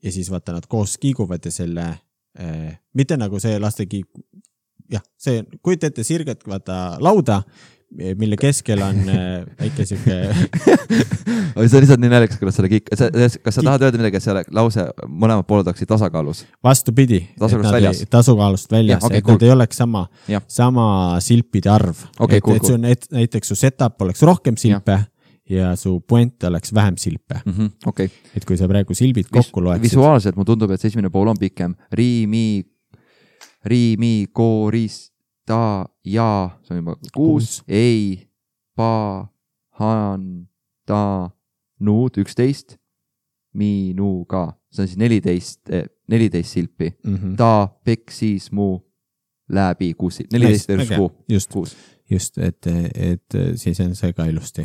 ja siis vaata nad koos kiiguvad ja selle, eh, mitte nagu see laste kiik, jah, see, kujuta ette sirget vaata lauda, mille keskel on väike siuke... see on lihtsalt nii näljakas, kuidas selle kiik... Kas sa tahad öelda midagi, et selle lause mõlemad pooled oleksid tasakaalus? Vastupidi. Tasakaalust väljas? Tasakaalust väljas, ja, okay, et cool. Nad ei oleks sama, sama silpide arv. Okay, et cool, et, cool. et näiteks su setup oleks rohkem silpe ja, ja su point oleks vähem silpe. Mm-hmm, okay. Et kui sa praegu silbid kokku loeksid... Visuaalselt mu tundub, et see esimene pool on pikem. Riimi... Riimi, korista, ja, see on juba kuus, ei, pa, han, ta, nuud, üksteist, minuga, see on siis neliteist, neliteist silpi, mm-hmm. ta, peksis, mu, läbi, kuus, neliteist versus kuu, just, kuus. Just, et, et siis on see ka ilusti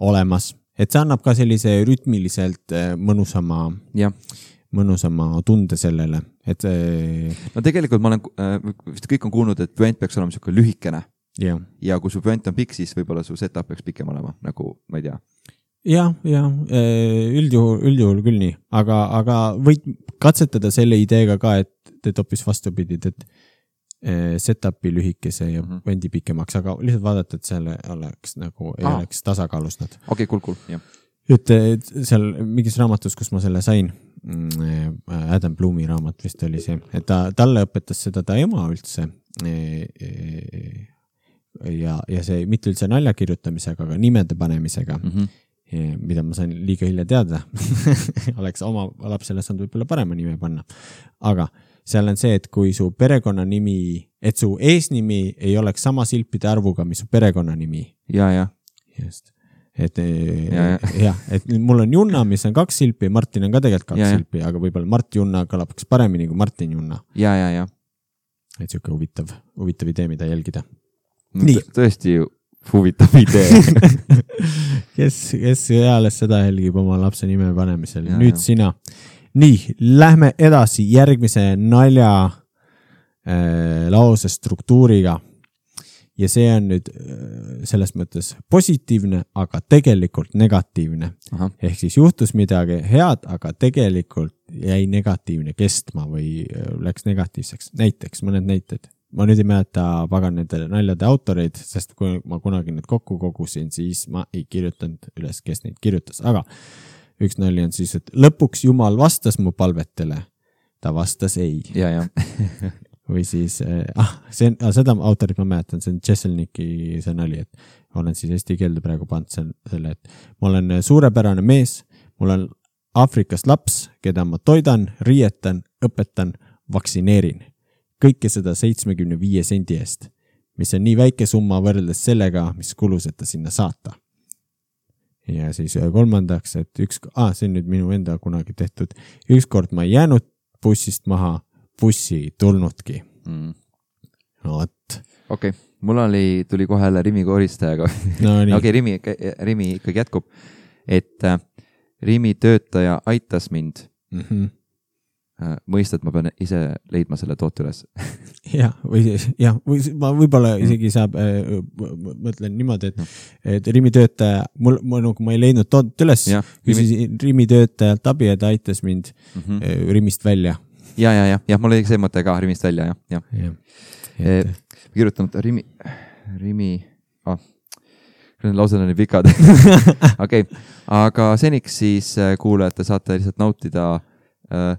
olemas, et see annab ka sellise rütmiliselt mõnusama... Jah. mõnusama tunde sellele, et no tegelikult ma olen, vist kõik on kuulnud, et puent peaks olema selline lühikene ja, ja kui su puent on pikk, siis võib-olla su setup peaks pikem olema, nagu ma ei tea. Jah, ja, üldjuhul, üldjuhul küll nii, aga, aga võid katsetada selle ideega ka, et teed hoopis vastupidid, et setupi lühikese ja mm-hmm. puendi pikemaks, aga lihtsalt vaadata, et selle oleks nagu, ei ah. oleks tasakaalus nad. Okei, okay, cool, cool, jah. ütle, seal mingis raamatus, kus ma selle sain, Adam Bloomi raamat vist oli see, et ta, talle õpetas seda ta ema üldse ja, ja see mitte üldse nalja kirjutamisega, aga nimede panemisega, mm-hmm. mida ma sain liiga hilja teada. Oleks oma lapsele saanud võib-olla parema nime panna. Aga seal on see, et kui su perekonnanimi, et su eesnimi ei oleks sama silpide arvuga, mis su perekonnanimi. Ja, ja. Just. Et, ja, ja. Ja, et mul on Junna, mis on kaks silpi, Martin on ka tegelikult kaks ja, silpi, aga võib-olla Mart Junna kõlabaks paremini kui Martin Junna. Ja, ja, ja. Et siuke huvitav, huvitav idee, mida jälgida. No, Nii. Tõesti huvitav idee. kes, kes eales seda jälgib oma lapse nime panemisel. Ja, Nüüd ja. Sina. Nii, lähme edasi järgmise nalja äh, lause struktuuriga. Ja see on nüüd selles mõttes positiivne, aga tegelikult negatiivne. Aha. Ehk siis juhtus midagi head, aga tegelikult jäi negatiivne kestma või läks negatiivseks. Näiteks, mõned näited. Ma nüüd ei mäleta pagan nende naljade autoreid, sest kui ma kunagi need kokku kogusin, siis ma ei kirjutanud üles, kes neid kirjutas. Aga üks nali on siis, et lõpuks Jumal vastas mu palvetele. Ta vastas ei. Ja, ja. Või siis, ah, see, ah, seda autorit ma mäletan, see on Jesselniki see nali, et olen siis eesti keelde praegu pand selle, et ma olen suurepärane mees, mul on Aafrikast laps, keda ma toidan, riietan, õpetan, vaksineerin. Kõike seda seitsmekümne viie sendi eest, mis on nii väike summa võrreldes sellega, mis kulus, et ta sinna saata. Ja siis kolmandaks, et üks, ah, see on nüüd minu enda kunagi tehtud, ükskord ma ei jäänud bussist maha, bussi tulnudki. Mm. No, et. Okei, okay. Mul oli, tuli kohe jälle Rimi koristajaga. No, Okei, okay, Rimi, Rimi ikkagi jätkub, et äh, Rimi töötaja aitas mind. Mm-hmm. Äh, mõistad, ma pean ise leidma selle toote üles. ja, või, ja, või ma võib-olla isegi saab, äh, mõtlen niimoodi, et, et Rimi töötaja, mul, ma, nagu ma ei leidnud tootet üles, küsisin Rimi töötajalt abi, et aitas mind mm-hmm. äh, Rimist välja. Ja, ja, ja, ja, mul oli see mõte ka Rimist välja, ja, ja. ja. E, kirjutanud Rimi, Rimi, ah, laused on nii pikad. Okei, okay. Aga seniks siis kuulajate saate lihtsalt nautida äh,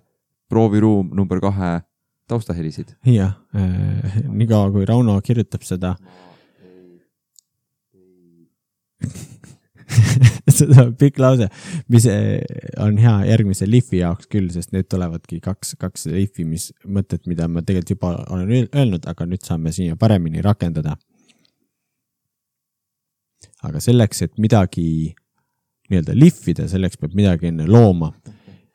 prooviruum number kahe taustahelisid. Ja, äh, nii kaua kui Rauno kirjutab seda. Seda on pikk lause, mis on hea järgmise lihvi jaoks küll, sest need tulevadki kaks, kaks lihvi, mis mõtted, mida ma tegelikult juba olen öelnud, aga nüüd saame siia paremini rakendada. Aga selleks, et midagi nii-öelda lihvida, selleks peab midagi enne looma.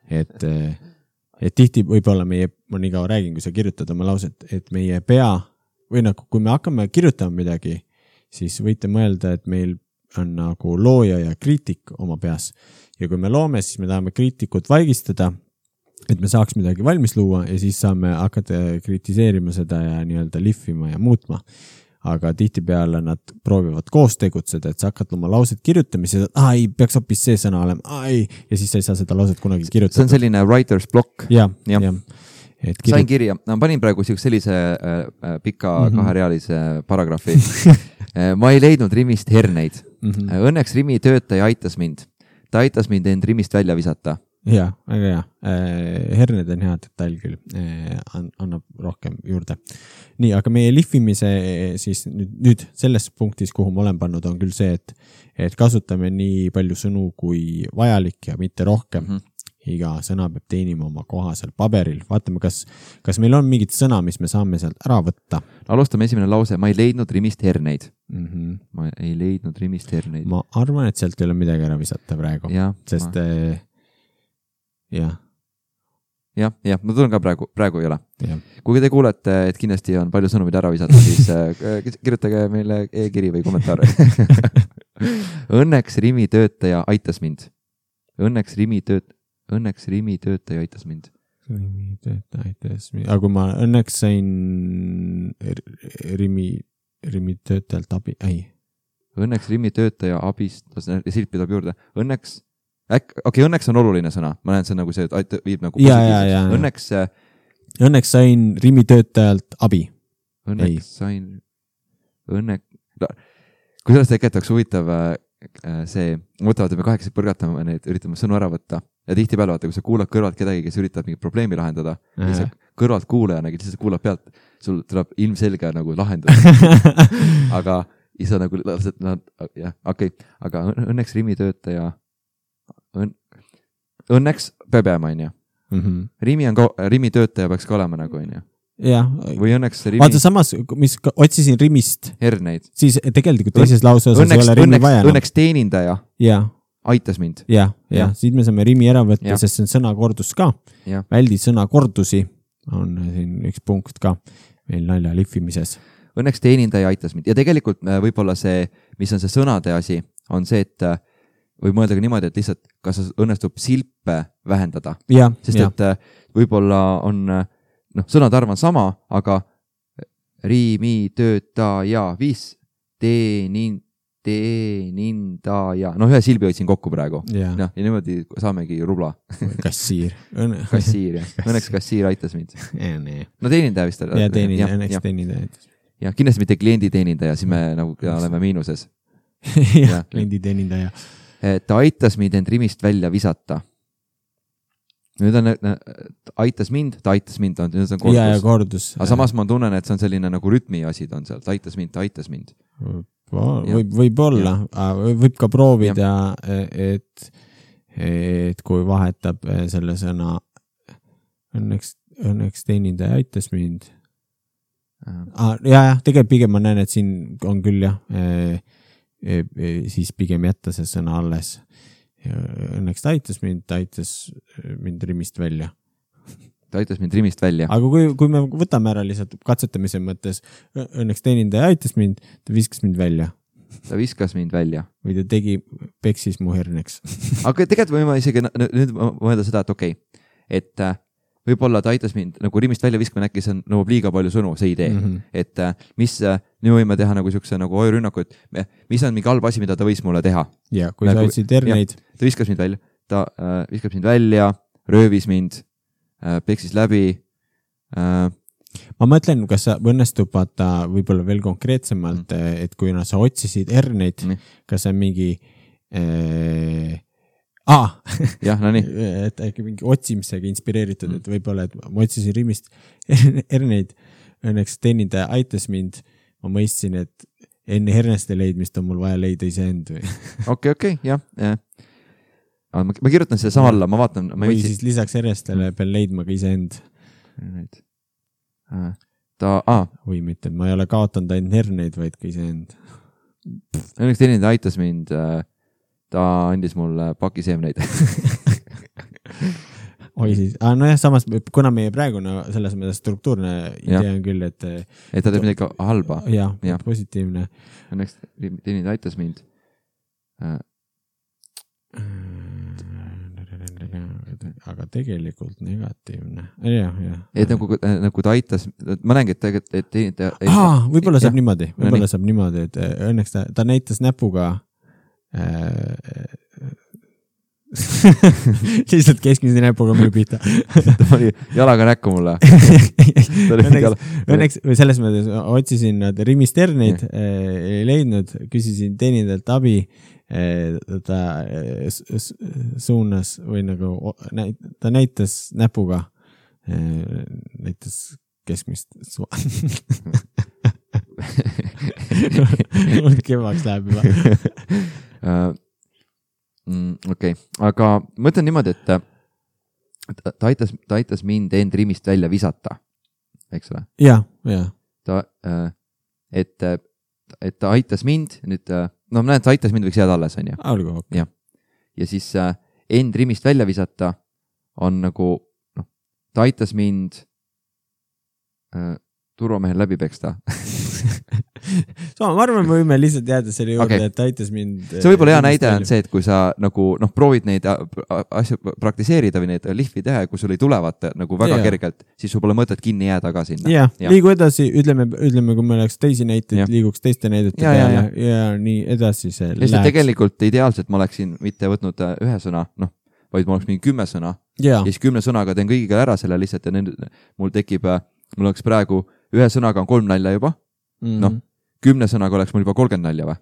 Et, et tihti võib-olla meie, ma nii kaua räägin, kui sa kirjutad oma lauset, et meie pea, või nagu kui me hakkame kirjutama midagi, siis võite mõelda, et meil on nagu looja ja kriitik oma peas. Ja kui me loome, siis me tahame kriitikut vaigistada, et me saaks midagi valmis luua ja siis saame hakata kritiseerima seda ja nii-öelda lihvima ja muutma. Aga tihtipeale nad proovivad koos tegutseda, et sa hakkad oma lauset kirjutamise, et ai, peaks hoopis see sõna olema, ai, ja siis sa ei saa seda lauset kunagi kirjutada. See on selline writer's block. Ja, ja. ja. Et kirjut... Sain kirja, no, panin praegu sellise äh, pika mm-hmm. kaherealise paragraafi. Ma ei leidnud Rimist herneid. Mm-hmm. Õnneks Rimi töötaja aitas mind. Ta aitas mind end Rimist välja visata. Ja, väga hea. Herned on hea detail küll. Annab rohkem juurde. Nii, aga meie lihvimise siis nüüd, nüüd selles punktis, kuhu ma olen pannud, on küll see, et, et kasutame nii palju sõnu kui vajalik ja mitte rohkem. Mm-hmm. Iga sõna peab teenima oma koha seal paberil. Vaatame, kas, kas meil on mingit sõna, mis me saame sealt ära võtta. Alustame esimene lause. Ma ei leidnud Rimist herneid. Mm-hmm. Ma ei leidnud Rimist herneid. Ma arvan, et sealt ei ole midagi ära visata praegu. Ja, sest ma... eh, jah. jah, jah, ma tulen ka praegu, praegu ei ole. Ja. Kui te kuulete, et kindlasti on palju sõnu, mida ära visata, siis äh, kirjutage meile e-kiri või kommentaar. Õnneks Rimi töötaja aitas mind. Õnneks Rimi tööt... Õnneks Rimi töötaja aitas mind. Rimi töötaja aitas mind. Aga kui ma õnneks sain Rimi, Rimi töötajalt abi, ei. Õnneks Rimi töötaja abist, silt pidab juurde. Õnneks, äk, okei, okay, õnneks on oluline sõna. Ma näen, see on nagu see, et viib nagu positiivseks. Õnneks, õnneks sain Rimi töötajalt abi. Õnneks ei. sain, õnneks, kui sellest tegelikult oleks huvitav see, mõtlevad, et me kahekesi põrgatame neid, üritame sõnu ära võtta ja tihti peale vaata, kui sa kuulad kõrvalt kedagi, kes üritab mingit probleemi lahendada ja sa kõrvalt kuulajana, kes sa kuulad pealt, sul tuleb ilmselge nagu lahendus. Aga isa nagu, jah, okei, okay. Aga õnneks Rimi töötaja, õn, õnneks peab jääma, on ju. Rimi, on, Rimi töötaja peaks ka olema nagu, on ju. Ja. Või õnneks Rimi... Vaata samas, mis otsisin Rimist, herneid. Siis tegelikult teises lause osas õnneks, ei ole Rimi õnneks, vaja. Õnneks teenindaja ja. aitas mind. Ja, ja, ja. Siit me saame Rimi ära võtta, ja. Sest see on sõnakordus ka. Ja. Väldi sõnakordusi on siin üks punkt ka meil nalja lihvimises. Õnneks teenindaja aitas mind. Ja tegelikult võib-olla see, mis on see sõnade asi, on see, et võib mõelda ka niimoodi, et lihtsalt kas õnnestub silpe vähendada. Ja, sest ja. et võib-olla on... noh, sõnade arv on sama, aga Rimi, töötaja, viis, teenin, teenindaja. Noh, ühe silbi hoidsin kokku praegu. Ja, ja niimoodi saamegi rubla. Kassiir. Kassiir, jah. Õnneks kassiir aitas mind. Ja, nee. No teenindaja vist. Ja, teenindaja, õnneks teenindaja aitas. Ja, kindlasti mitte kliendi teenindaja, siis me nagu oleme miinuses. Ja, kliendi teenindaja. Ta aitas mind end Rimist välja visata. Nüüd on, aitas mind, ta aitas mind, nüüd on kordus. Ja, ja kordus. Aga samas ma tunnen, et see on selline nagu rütmi asi on seal, ta aitas mind, ta aitas mind. Võib, võib olla, võib ka proovida, et, et kui vahetab selle sõna, õnneks, õnneks teenindaja aitas mind. Ah, ja, ja, tegelikult pigem ma näen, et siin on küll jah, e, e, e, siis pigem jätta see sõna alles. Ja õnneks ta aitas mind, ta aitas mind Rimist välja. Ta aitas mind Rimist välja. Aga kui, kui me võtame ära lihtsalt katsetamise mõttes, õnneks teenindaja aitas mind, ta viskas mind välja. Ta viskas mind välja. Või ta tegi, peksis mu herneks. Aga tegelikult võime isegi nüüd mõelda seda, et okei, okay, et võib-olla ta aitas mind nagu Rimist välja viskama, äkki see nõuab liiga palju sõnu, see idee. Mm-hmm. Et mis, nüüd võime teha nagu siukse nagu ojurünnaku, et mis on mingi halb asi, mida ta võis mulle teha. Ja, kui nagu, sa otsid herneid. Ta viskas mind välja, ta äh, viskas mind välja, röövis mind, äh, peksis läbi. Äh, ma mõtlen, kas sa õnnestub vaata võib-olla veel konkreetsemalt, mm. et kui no, sa otsisid herneid, mm. kas see on mingi... Äh, Ah, jah, no nii. Et äkki mingi otsimisega inspireeritud, mm. et võib-olla, et ma otsisin Rimist herneid, õnneks teenindaja aitas mind, ma mõistsin, et enne herneste leidmist on mul vaja leida iseend või. Okei, okei, jah. Ja. Ma, ma kirjutan selle sama alla, ma vaatan. Ma või viitsin... siis lisaks hernestele peal leidma ka iseend. Ta, ah. Või mitte, ma ei ole kaotanud ainult herneid, vaid ka iseend. Õnneks teenindaja aitas mind... ta andis mulle pakiseemneid. Oi siis, ah, no jah, samas, kuna meie praegune selles mõttes struktuurne idee on küll, et... Et ta teeb midagi halba. Jah, ja. Positiivne. Õnneks teenindaja aitas mind. Aga tegelikult negatiivne. Ja, ja. Et nagu, nagu ta aitas, ma näengi, et, et teenindaja... Ah, võib-olla saab niimoodi, võib-olla saab niimoodi, et õnneks ta, ta näitas näpuga lihtsalt keskmise näpuga minu pihta. Ta pani jalaga näkku mulle. õnneks, õnneks või selles mõttes otsisin nad Rimist herneid, ei leidnud, küsisin teenindajalt abi, ta suunas või nagu ta näitas näpuga, näitas keskmist mul kevaks läheb juba. Uh, mm, okei, okay. Aga ma ütlen niimoodi, et ta, ta, aitas, ta aitas mind end Rimist välja visata, eks ole? Jah, jah. Ta, uh, et, et ta aitas mind, nüüd, no ma näen, et ta aitas mind võiks jääda alles, on ju? Olgu, okei. Ja. ja siis uh, end Rimist välja visata on nagu, noh, ta aitas mind uh, turvamehel läbi peksta. So, ma arvan, me võime lihtsalt jääda selle juurde, okay. Et aitas mind... See võib-olla hea näide on see, et kui sa nagu, noh, proovid neid asju praktiseerida või neid lihvi teha ja kui sul ei tulevad nagu väga ja. Kergelt, siis sul pole mõtet kinni jääda ka sinna. Ja, ja. Liigu edasi, ütleme, ütleme, kui me oleks teisi näiteid, ja. Liiguks teiste näidete ja, peale ja, ja. ja nii edasi see läheks. Tegelikult ideaalselt ma oleksin mitte võtnud ühe sõna, noh, vaid ma oleks mingi kümme sõna ja, ja siis kümne sõnaga teen kõigiga ära selle lihtsalt ja nüüd mul tekib, mul oleks praegu ühe sõnaga on kolm nalja juba, mm-hmm. Noh, kümne sõnaga oleks mul juba kolmkümmend nalja või?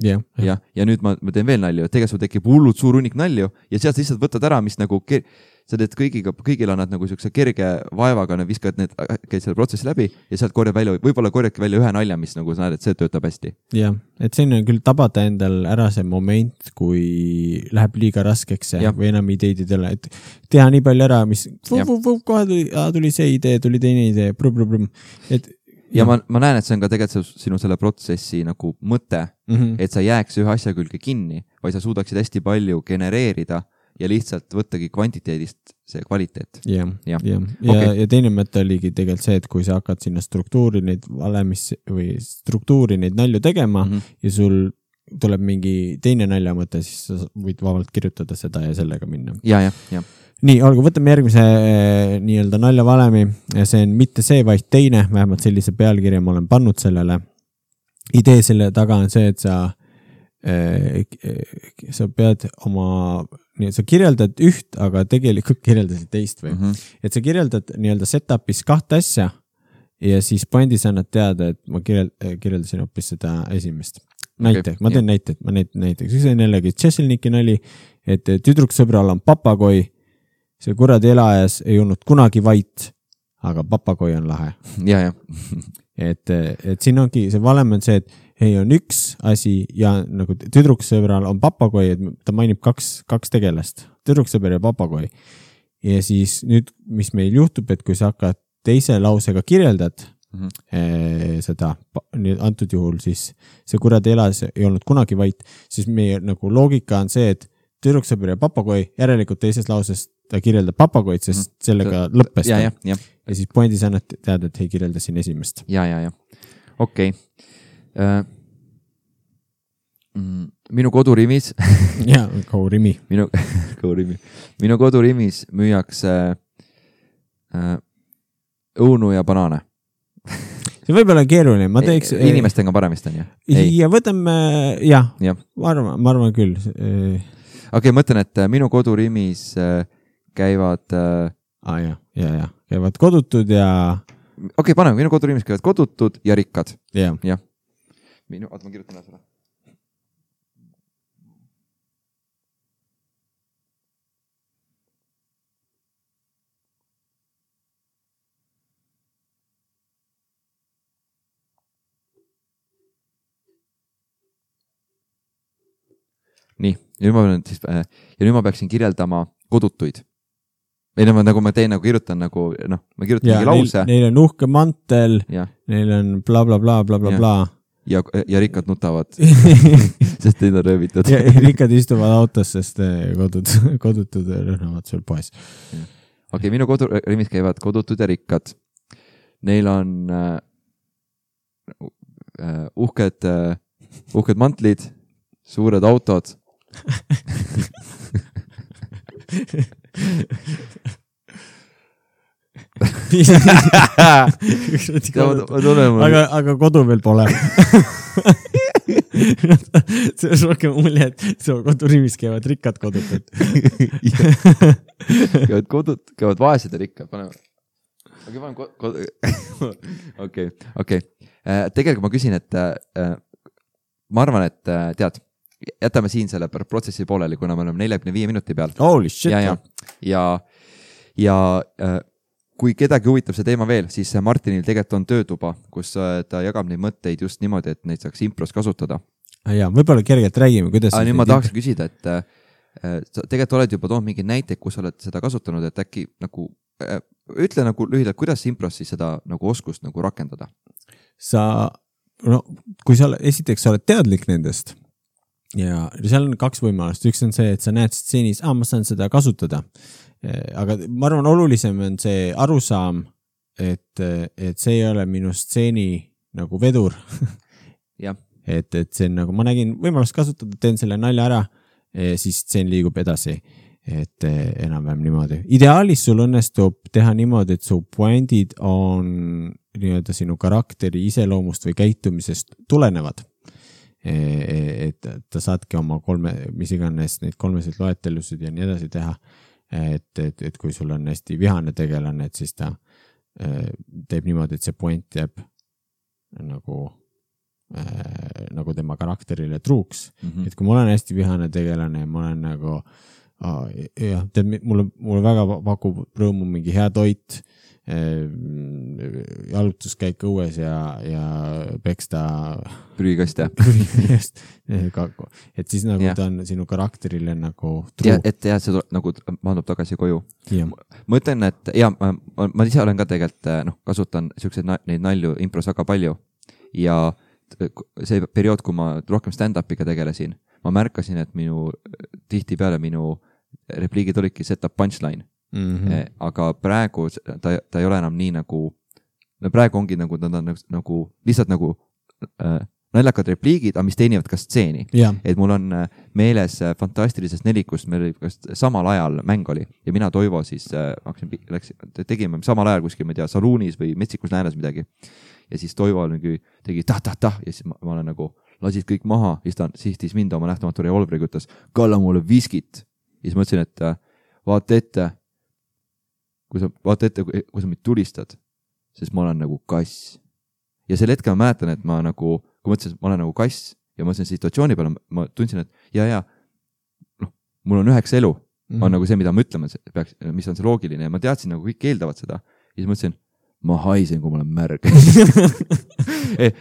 yeah, ja, ja, ja nüüd ma, ma teen veel nalju, et tegelikult sul tekib hullult suur hunnik nalju ja sealt lihtsalt võtad ära, mis nagu ker... sa teed kõigiga, kõigil annad nagu siukse kerge vaevaga, need viskad need, käid selle protsessi läbi ja sealt korjab välja, võib-olla korjadki välja ühe nalja, mis nagu sa näed, et see töötab hästi. jah, et siin on küll tabada endal ära see moment, kui läheb liiga raskeks ja. Või enam ideid ei tule, et teha nii palju ära, mis kohe tuli, tuli see idee, tuli teine idee, brum, brum, brum. Et ja ma, ma näen, et see on ka tegelikult sinu selle protsessi nagu mõte, mm -hmm. et sa jääks ühe asja külge kinni, vaid sa suudaksid hästi palju genereerida ja lihtsalt võttagi kvantiteedist see kvaliteet. jah, ja, ja, ja, okay. ja teine mõte oligi tegelikult see, et kui sa hakkad sinna struktuuri neid valemis või struktuuri neid nalju tegema mm -hmm. ja sul tuleb mingi teine naljamõte, siis sa võid vabalt kirjutada seda ja sellega minna. ja, ja, ja. nii, olgu, võtame järgmise nii-öelda naljavalemi. See on mitte see, vaid teine, vähemalt sellise pealkirja ma olen pannud sellele. Idee selle taga on see, et sa, sa pead oma, sa kirjeldad üht, aga tegelikult kirjeldasid teist või. Mm -hmm. Et sa kirjeldad nii-öelda setup'is kahte asja ja siis pointis annad teada, et ma kirjeld, kirjeldasin hoopis seda esimest. Näite, okay, ma teen näite, ma näite, näiteks. See on jällegi Tšesselniki nali, et tüdruksõbral on papagoi. See kuradi elajas ei olnud kunagi vait, aga papagoi on lahe. Ja, ja. et, et siin ongi, see valem on see, et ei on üks asi ja nagu tüdruksõbral on papagoi, et ta mainib kaks, kaks tegelast, tüdruksõber ja papagoi. Ja siis nüüd, mis meil juhtub, et kui sa hakkad teise lausega kirjeldad mm -hmm. eh, seda, antud juhul siis see kuradi elajas ei olnud kunagi vait, siis meie nagu loogika on see, et tüdruksõber ja papagoi, järelikult teises lauses ta kirjeldab papagoid, sest mm. sellega see, lõppes ja, ta. Ja, ja. ja siis pointis annad teada, et ei kirjelda siin esimest. Ja, ja, ja. Okei. Okay. Uh, mm, minu kodurimis ja, kaurimi. Minu, kaurimi. Minu kodurimis müüakse uh, õunu ja banaane. See võib olla keeruline, ma teeks... Inimestega paremist on, jah? Ja võtame, jah, ja. Ma, arvan, ma arvan küll. Okei, okay, mõtlen, et minu kodurimis käivad... Ah, jah, ja, ja. Käivad kodutud ja... Okei, okay, paneme, minu kodurimis käivad kodutud ja rikkad. Ja. Ja. Minu, oota, ma kirjutan ära seda. Nii, ja nüüd ma, siis, ja nüüd ma peaksin kirjeldama kodutuid. Ei, no, nagu ma teen, nagu kirjutan, nagu, noh, ma kirjutan ja, mingi lause. Neil, neil on uhke mantel, ja. Neil on bla, bla, bla, bla, bla, ja. bla. Ja, ja rikkad nutavad, sest neid on röövitud. Ja rikkad istuvad autos, sest kodud, kodutud rõhnavad sul poes. Okei, okay, minu kodurimis käivad kodutud ja rikkad. Neil on uh, uh, uhked, uh, uhked mantlid, suured autod. aga, aga kodu veel pole. See on rohkem mulje, et see kodurimis käivad rikkad kodutud. käivad kodud, käivad vaesed ja rikkad. Okei, panen kodu. Okei, okei. Tegelikult ma küsin, et uh, ma arvan, et uh, tead, jätame siin selle protsessi pooleli, kuna me oleme neljakümne viie minuti peal. Holy shit. Ja, ja, ja, ja uh, kui kedagi huvitab see teema veel, siis Martinil tegelikult on töötuba, kus uh, ta jagab neid mõtteid just niimoodi, et neid saaks impros kasutada. Ja, võib-olla kergelt räägime, kuidas... Ah, nüüd ma tahaks küsida, et uh, sa tegelikult oled juba toonud mingi näiteid, kus oled seda kasutanud, et äkki nagu, uh, ütle nagu lühidalt, kuidas impros siis seda nagu oskust nagu rakendada? Sa, no, kui sa esiteks oled teadlik nendest, ja seal on kaks võimalust. Üks on see, et sa näed stseenis, ah, ma saan seda kasutada. Aga ma arvan, olulisem on see arusaam, et, et see ei ole minu stseeni nagu vedur. Ja. Et, et see on nagu, ma nägin võimalust kasutada, teen selle nalja ära, siis stseen liigub edasi. Et enam-vähem niimoodi. Ideaalis sul õnnestub teha niimoodi, et su pointid on nii-öelda sinu karakteri iseloomust või käitumisest tulenevad. Et ta saadki oma kolme, mis iganes neid kolmesid loetelusid ja nii edasi teha. Et, et, et kui sul on hästi vihane tegelane, et siis ta teeb niimoodi, et see point jääb nagu äh, nagu tema karakterile truuks mm. Mhm. Et kui ma olen hästi vihane tegelane ja ma olen nagu ah, jah, tead, mulle, mulle väga pakub rõõmu mingi hea toit, jalutuskäik õues ja, ja peksta prügikast ja prügikast, et siis nagu ja. ta on sinu karakterile nagu truu. Et jah, see tuleb, nagu maandub tagasi koju. Ja. Ma ütlen, et ja, ma, ma ise olen ka tegelikult, noh, kasutan siukseid neid nalju impros väga palju ja see periood, kui ma rohkem stand-upiga tegelesin, ma märkasin, et minu, tihti peale minu repliigid olidki set up punchline. Mm-hmm. Aga praegu ta, ta ei ole enam nii nagu, no praegu ongi nagu, nad on nagu, lihtsalt nagu äh, naljakad repliigid, aga mis teenivad ka stseeni. Yeah. Et mul on meeles fantastilisest nelikust, meil oli samal ajal mäng oli ja mina Toivo siis äh, läks, tegime samal ajal kuskil, ma ei tea, saluunis või Metsikus Läänes midagi. Ja siis Toivo nagu tegi tah-tah-tah ja siis ma, ma olen nagu, lasid kõik maha, siis ta sihtis mind oma nähtamatu revolvriga, ütles, kalla mulle viskit. Ja siis ma ütlesin, et vaata ette, kui sa vaata ette, kui sa mind tulistad, sest ma olen nagu kass. Ja sel hetkel ma mäletan, et ma nagu, kui ma ütlesin, et ma olen nagu kass ja ma ütlesin situatsiooni peale, ma tundsin, et ja, ja, noh, mul on üheks elu, mm-hmm. on nagu see, mida ma ütlema peaks, mis on see loogiline ja ma teadsin, nagu kõik keeldavad seda. Ja siis ma ütlesin, ma haisen, kui ma olen märg.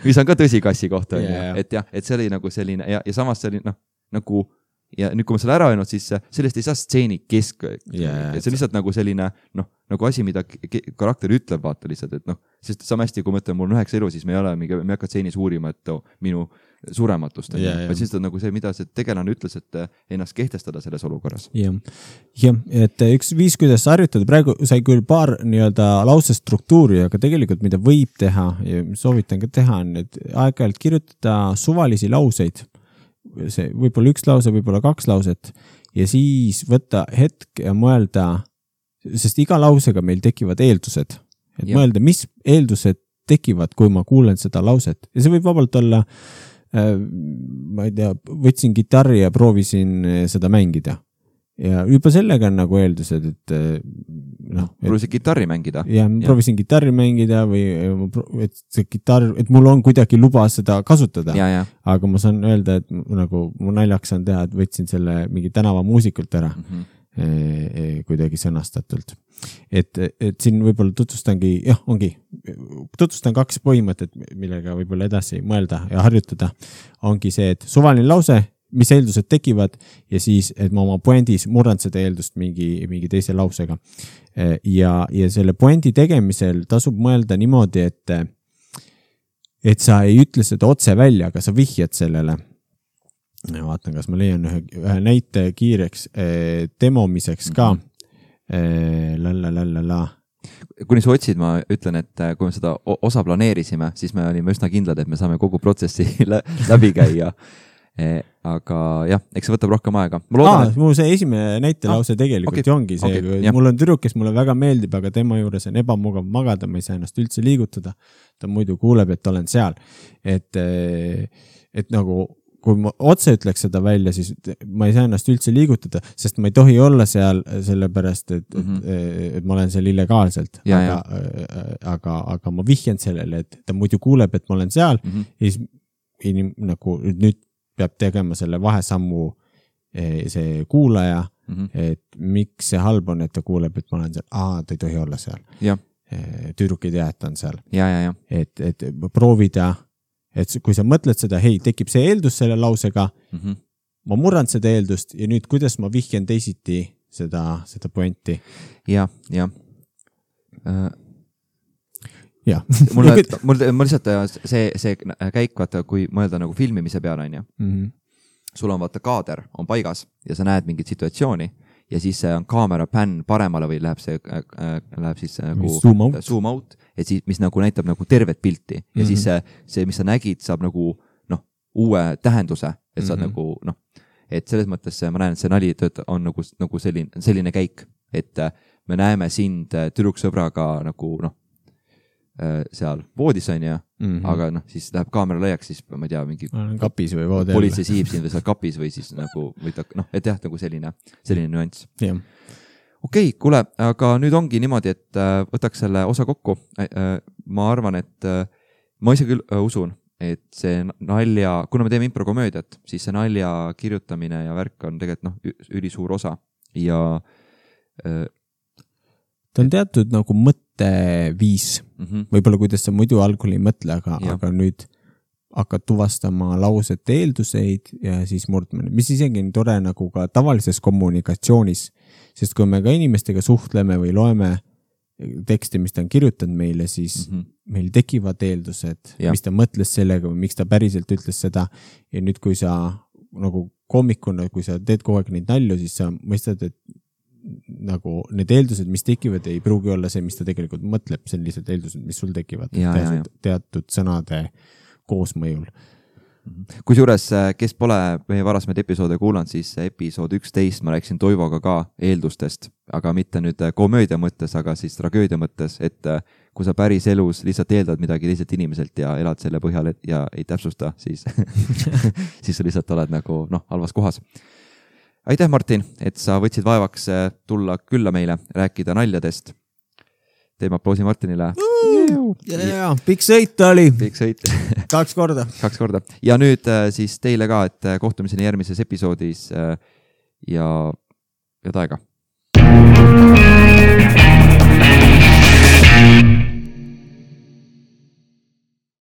mis on ka tõsi kassi kohta, yeah. et jah, et see oli nagu selline ja, ja samas see oli, noh, nagu ja nüüd, kui ma selle ära öelnud, siis sellest ei saa stseeni kesk. Yeah, see on lihtsalt nagu selline, noh, nagu asi, mida karakter ütleb, vaata lihtsalt, et noh, sest sama hästi, kui ma ütlen, mul on üheks elu, siis me ei ole, me ei hakka stseenis uurima, et oh, minu surematust. Yeah, yeah. Siis on nagu see, mida see tegelane ütles, et ennast kehtestada selles olukorras. Jah, yeah. et üks viis, kuidas harjutada, praegu sai küll paar nii-öelda lause struktuuri, aga tegelikult mida võib teha ja soovitan ka teha, on, et aeg-ajalt kirjutada suvalisi lauseid. See võib-olla üks lause, võib-olla kaks lauset ja siis võtta hetk ja mõelda, sest iga lausega meil tekivad eeldused, et ja. Mõelda, mis eeldused tekivad, kui ma kuulen seda lauset ja see võib vabalt olla, äh, ma ei tea, võtsin gitarri ja proovisin seda mängida ja juba sellega on nagu eeldused, et noh. Proovisin gitarri mängida. Ja, ja proovisin gitarri mängida või et see gitarr, et mul on kuidagi luba seda kasutada. Ja, ja. Aga ma saan öelda, et nagu mu naljaks on teha, et võtsin selle mingi tänava muusikult ära mm-hmm. e, e, kuidagi sõnastatult. Et, et siin võib-olla tutvustangi, jah, ongi, tutvustan kaks põhimõtet, millega võib-olla edasi mõelda ja harjutada. Ongi see, et suvaline lause, mis eeldused tekivad ja siis, et ma oma poendis murran seda eeldust mingi, mingi teise lausega. Ja, ja selle poendi tegemisel tasub mõelda niimoodi, et, et sa ei ütle seda otse välja, aga sa vihjad sellele. Ja vaatan, kas ma leian ühe, ühe näite kiireks demomiseks ka. La, la, la, la, la. Kuni sa otsid, ma ütlen, et kui me seda osa planeerisime, siis me olime üsna kindlad, et me saame kogu protsessi läbi käia. Eh, aga jah, eks see võtab rohkem aega. Aa, et... mul see esimene näitelause ah, tegelikult okay, ongi see, okay, mul on tüdruk, kes mulle väga meeldib, aga tema juures on ebamugav magada, ma ei saa ennast üldse liigutada. Ta muidu kuuleb, et olen seal. Et, et nagu, kui ma otse ütleks seda välja, siis ma ei saa ennast üldse liigutada, sest ma ei tohi olla seal sellepärast, et, mm-hmm. et, et ma olen seal illegaalselt. Ja, aga, aga, aga ma vihjan sellele, et ta muidu kuuleb, et ma olen seal mm-hmm. ja siis inim, nagu nüüd peab tegema selle vahesammu see kuulaja, mm-hmm. et miks see halb on, et ta kuuleb, et ma olen seal, aa, ta ei tohi olla seal. Ja. Tüdruk ei tea, et ta on seal. Ja, ja, ja. Et, et proovida, et kui sa mõtled seda, hei, tekib see eeldus selle lausega, mm-hmm. ma murran seda eeldust ja nüüd, kuidas ma vihjan teisiti seda, seda pointi. Ja, ja. Uh... Ja. mul, mul, mul lihtsalt see, see käik, vaata, kui mõelda nagu filmimise peale, on ju. Mm-hmm. Sul on vaata kaader, on paigas ja sa näed mingit situatsiooni ja siis on kaamera pänn paremale või läheb see, äh, läheb siis nagu zoom out, zoom out et siis, mis nagu näitab nagu tervet pilti ja mm-hmm. siis see, see, mis sa nägid, saab nagu, noh, uue tähenduse, et sa mm-hmm. nagu, noh, et selles mõttes ma näen, et see nali on nagu, nagu selline, selline käik, et me näeme sind tüdruksõbraga nagu, noh, seal voodis on ja, mm-hmm. aga noh, siis läheb kaamera laiaks, siis ma ei tea, mingi kapis või voodel. Politsei siib siin või seal kapis või siis nagu, või ta, noh, et jah, nagu selline, selline nüanss. Yeah. Okei, okay, kuule, aga nüüd ongi niimoodi, et võtaks selle osa kokku. Ma arvan, et ma ise küll usun, et see nalja, kuna me teeme improkomöödiat, siis see nalja kirjutamine ja värk on tegelikult noh, ülisuur osa ja äh, ta on teatud nagu mõtteviis, mm -hmm. võib-olla kuidas sa muidu algul ei mõtle, aga, aga nüüd hakkad tuvastama lausete eelduseid ja siis murdmine, mis isegi on tore nagu ka tavalises kommunikatsioonis, sest kui me ka inimestega suhtleme või loeme teksti, mis ta on kirjutanud meile, siis mm -hmm. meil tekivad eeldused, ja. mis ta mõtles sellega või miks ta päriselt ütles seda ja nüüd, kui sa nagu koomikuna, kui sa teed kogu aeg neid nalju, siis sa mõistad, et nagu need eeldused, mis tekivad, ei pruugi olla see, mis ta tegelikult mõtleb, see on lihtsalt eeldused, mis sul tekivad ja, teatud, ja, ja. teatud sõnade koosmõjul. Kusjuures, kes pole meie varasemaid episoode kuulanud, siis episood üksteist ma rääkisin Toivoga ka eeldustest, aga mitte nüüd komöödia mõttes, aga siis tragöödia mõttes, et kui sa päris elus lihtsalt eeldad midagi teiselt inimeselt ja elad selle põhjal ja ei täpsusta, siis, siis sa lihtsalt oled nagu noh, halvas kohas. Aitäh, Martin, et sa võtsid vaevaks tulla külla meile, rääkida naljadest. Teeme aplausi Martinile. jaa, pikk sõit oli. Pikk sõit. Kaks korda. Kaks korda. Ja nüüd siis teile ka, et kohtumiseni järgmises episoodis ja head aega.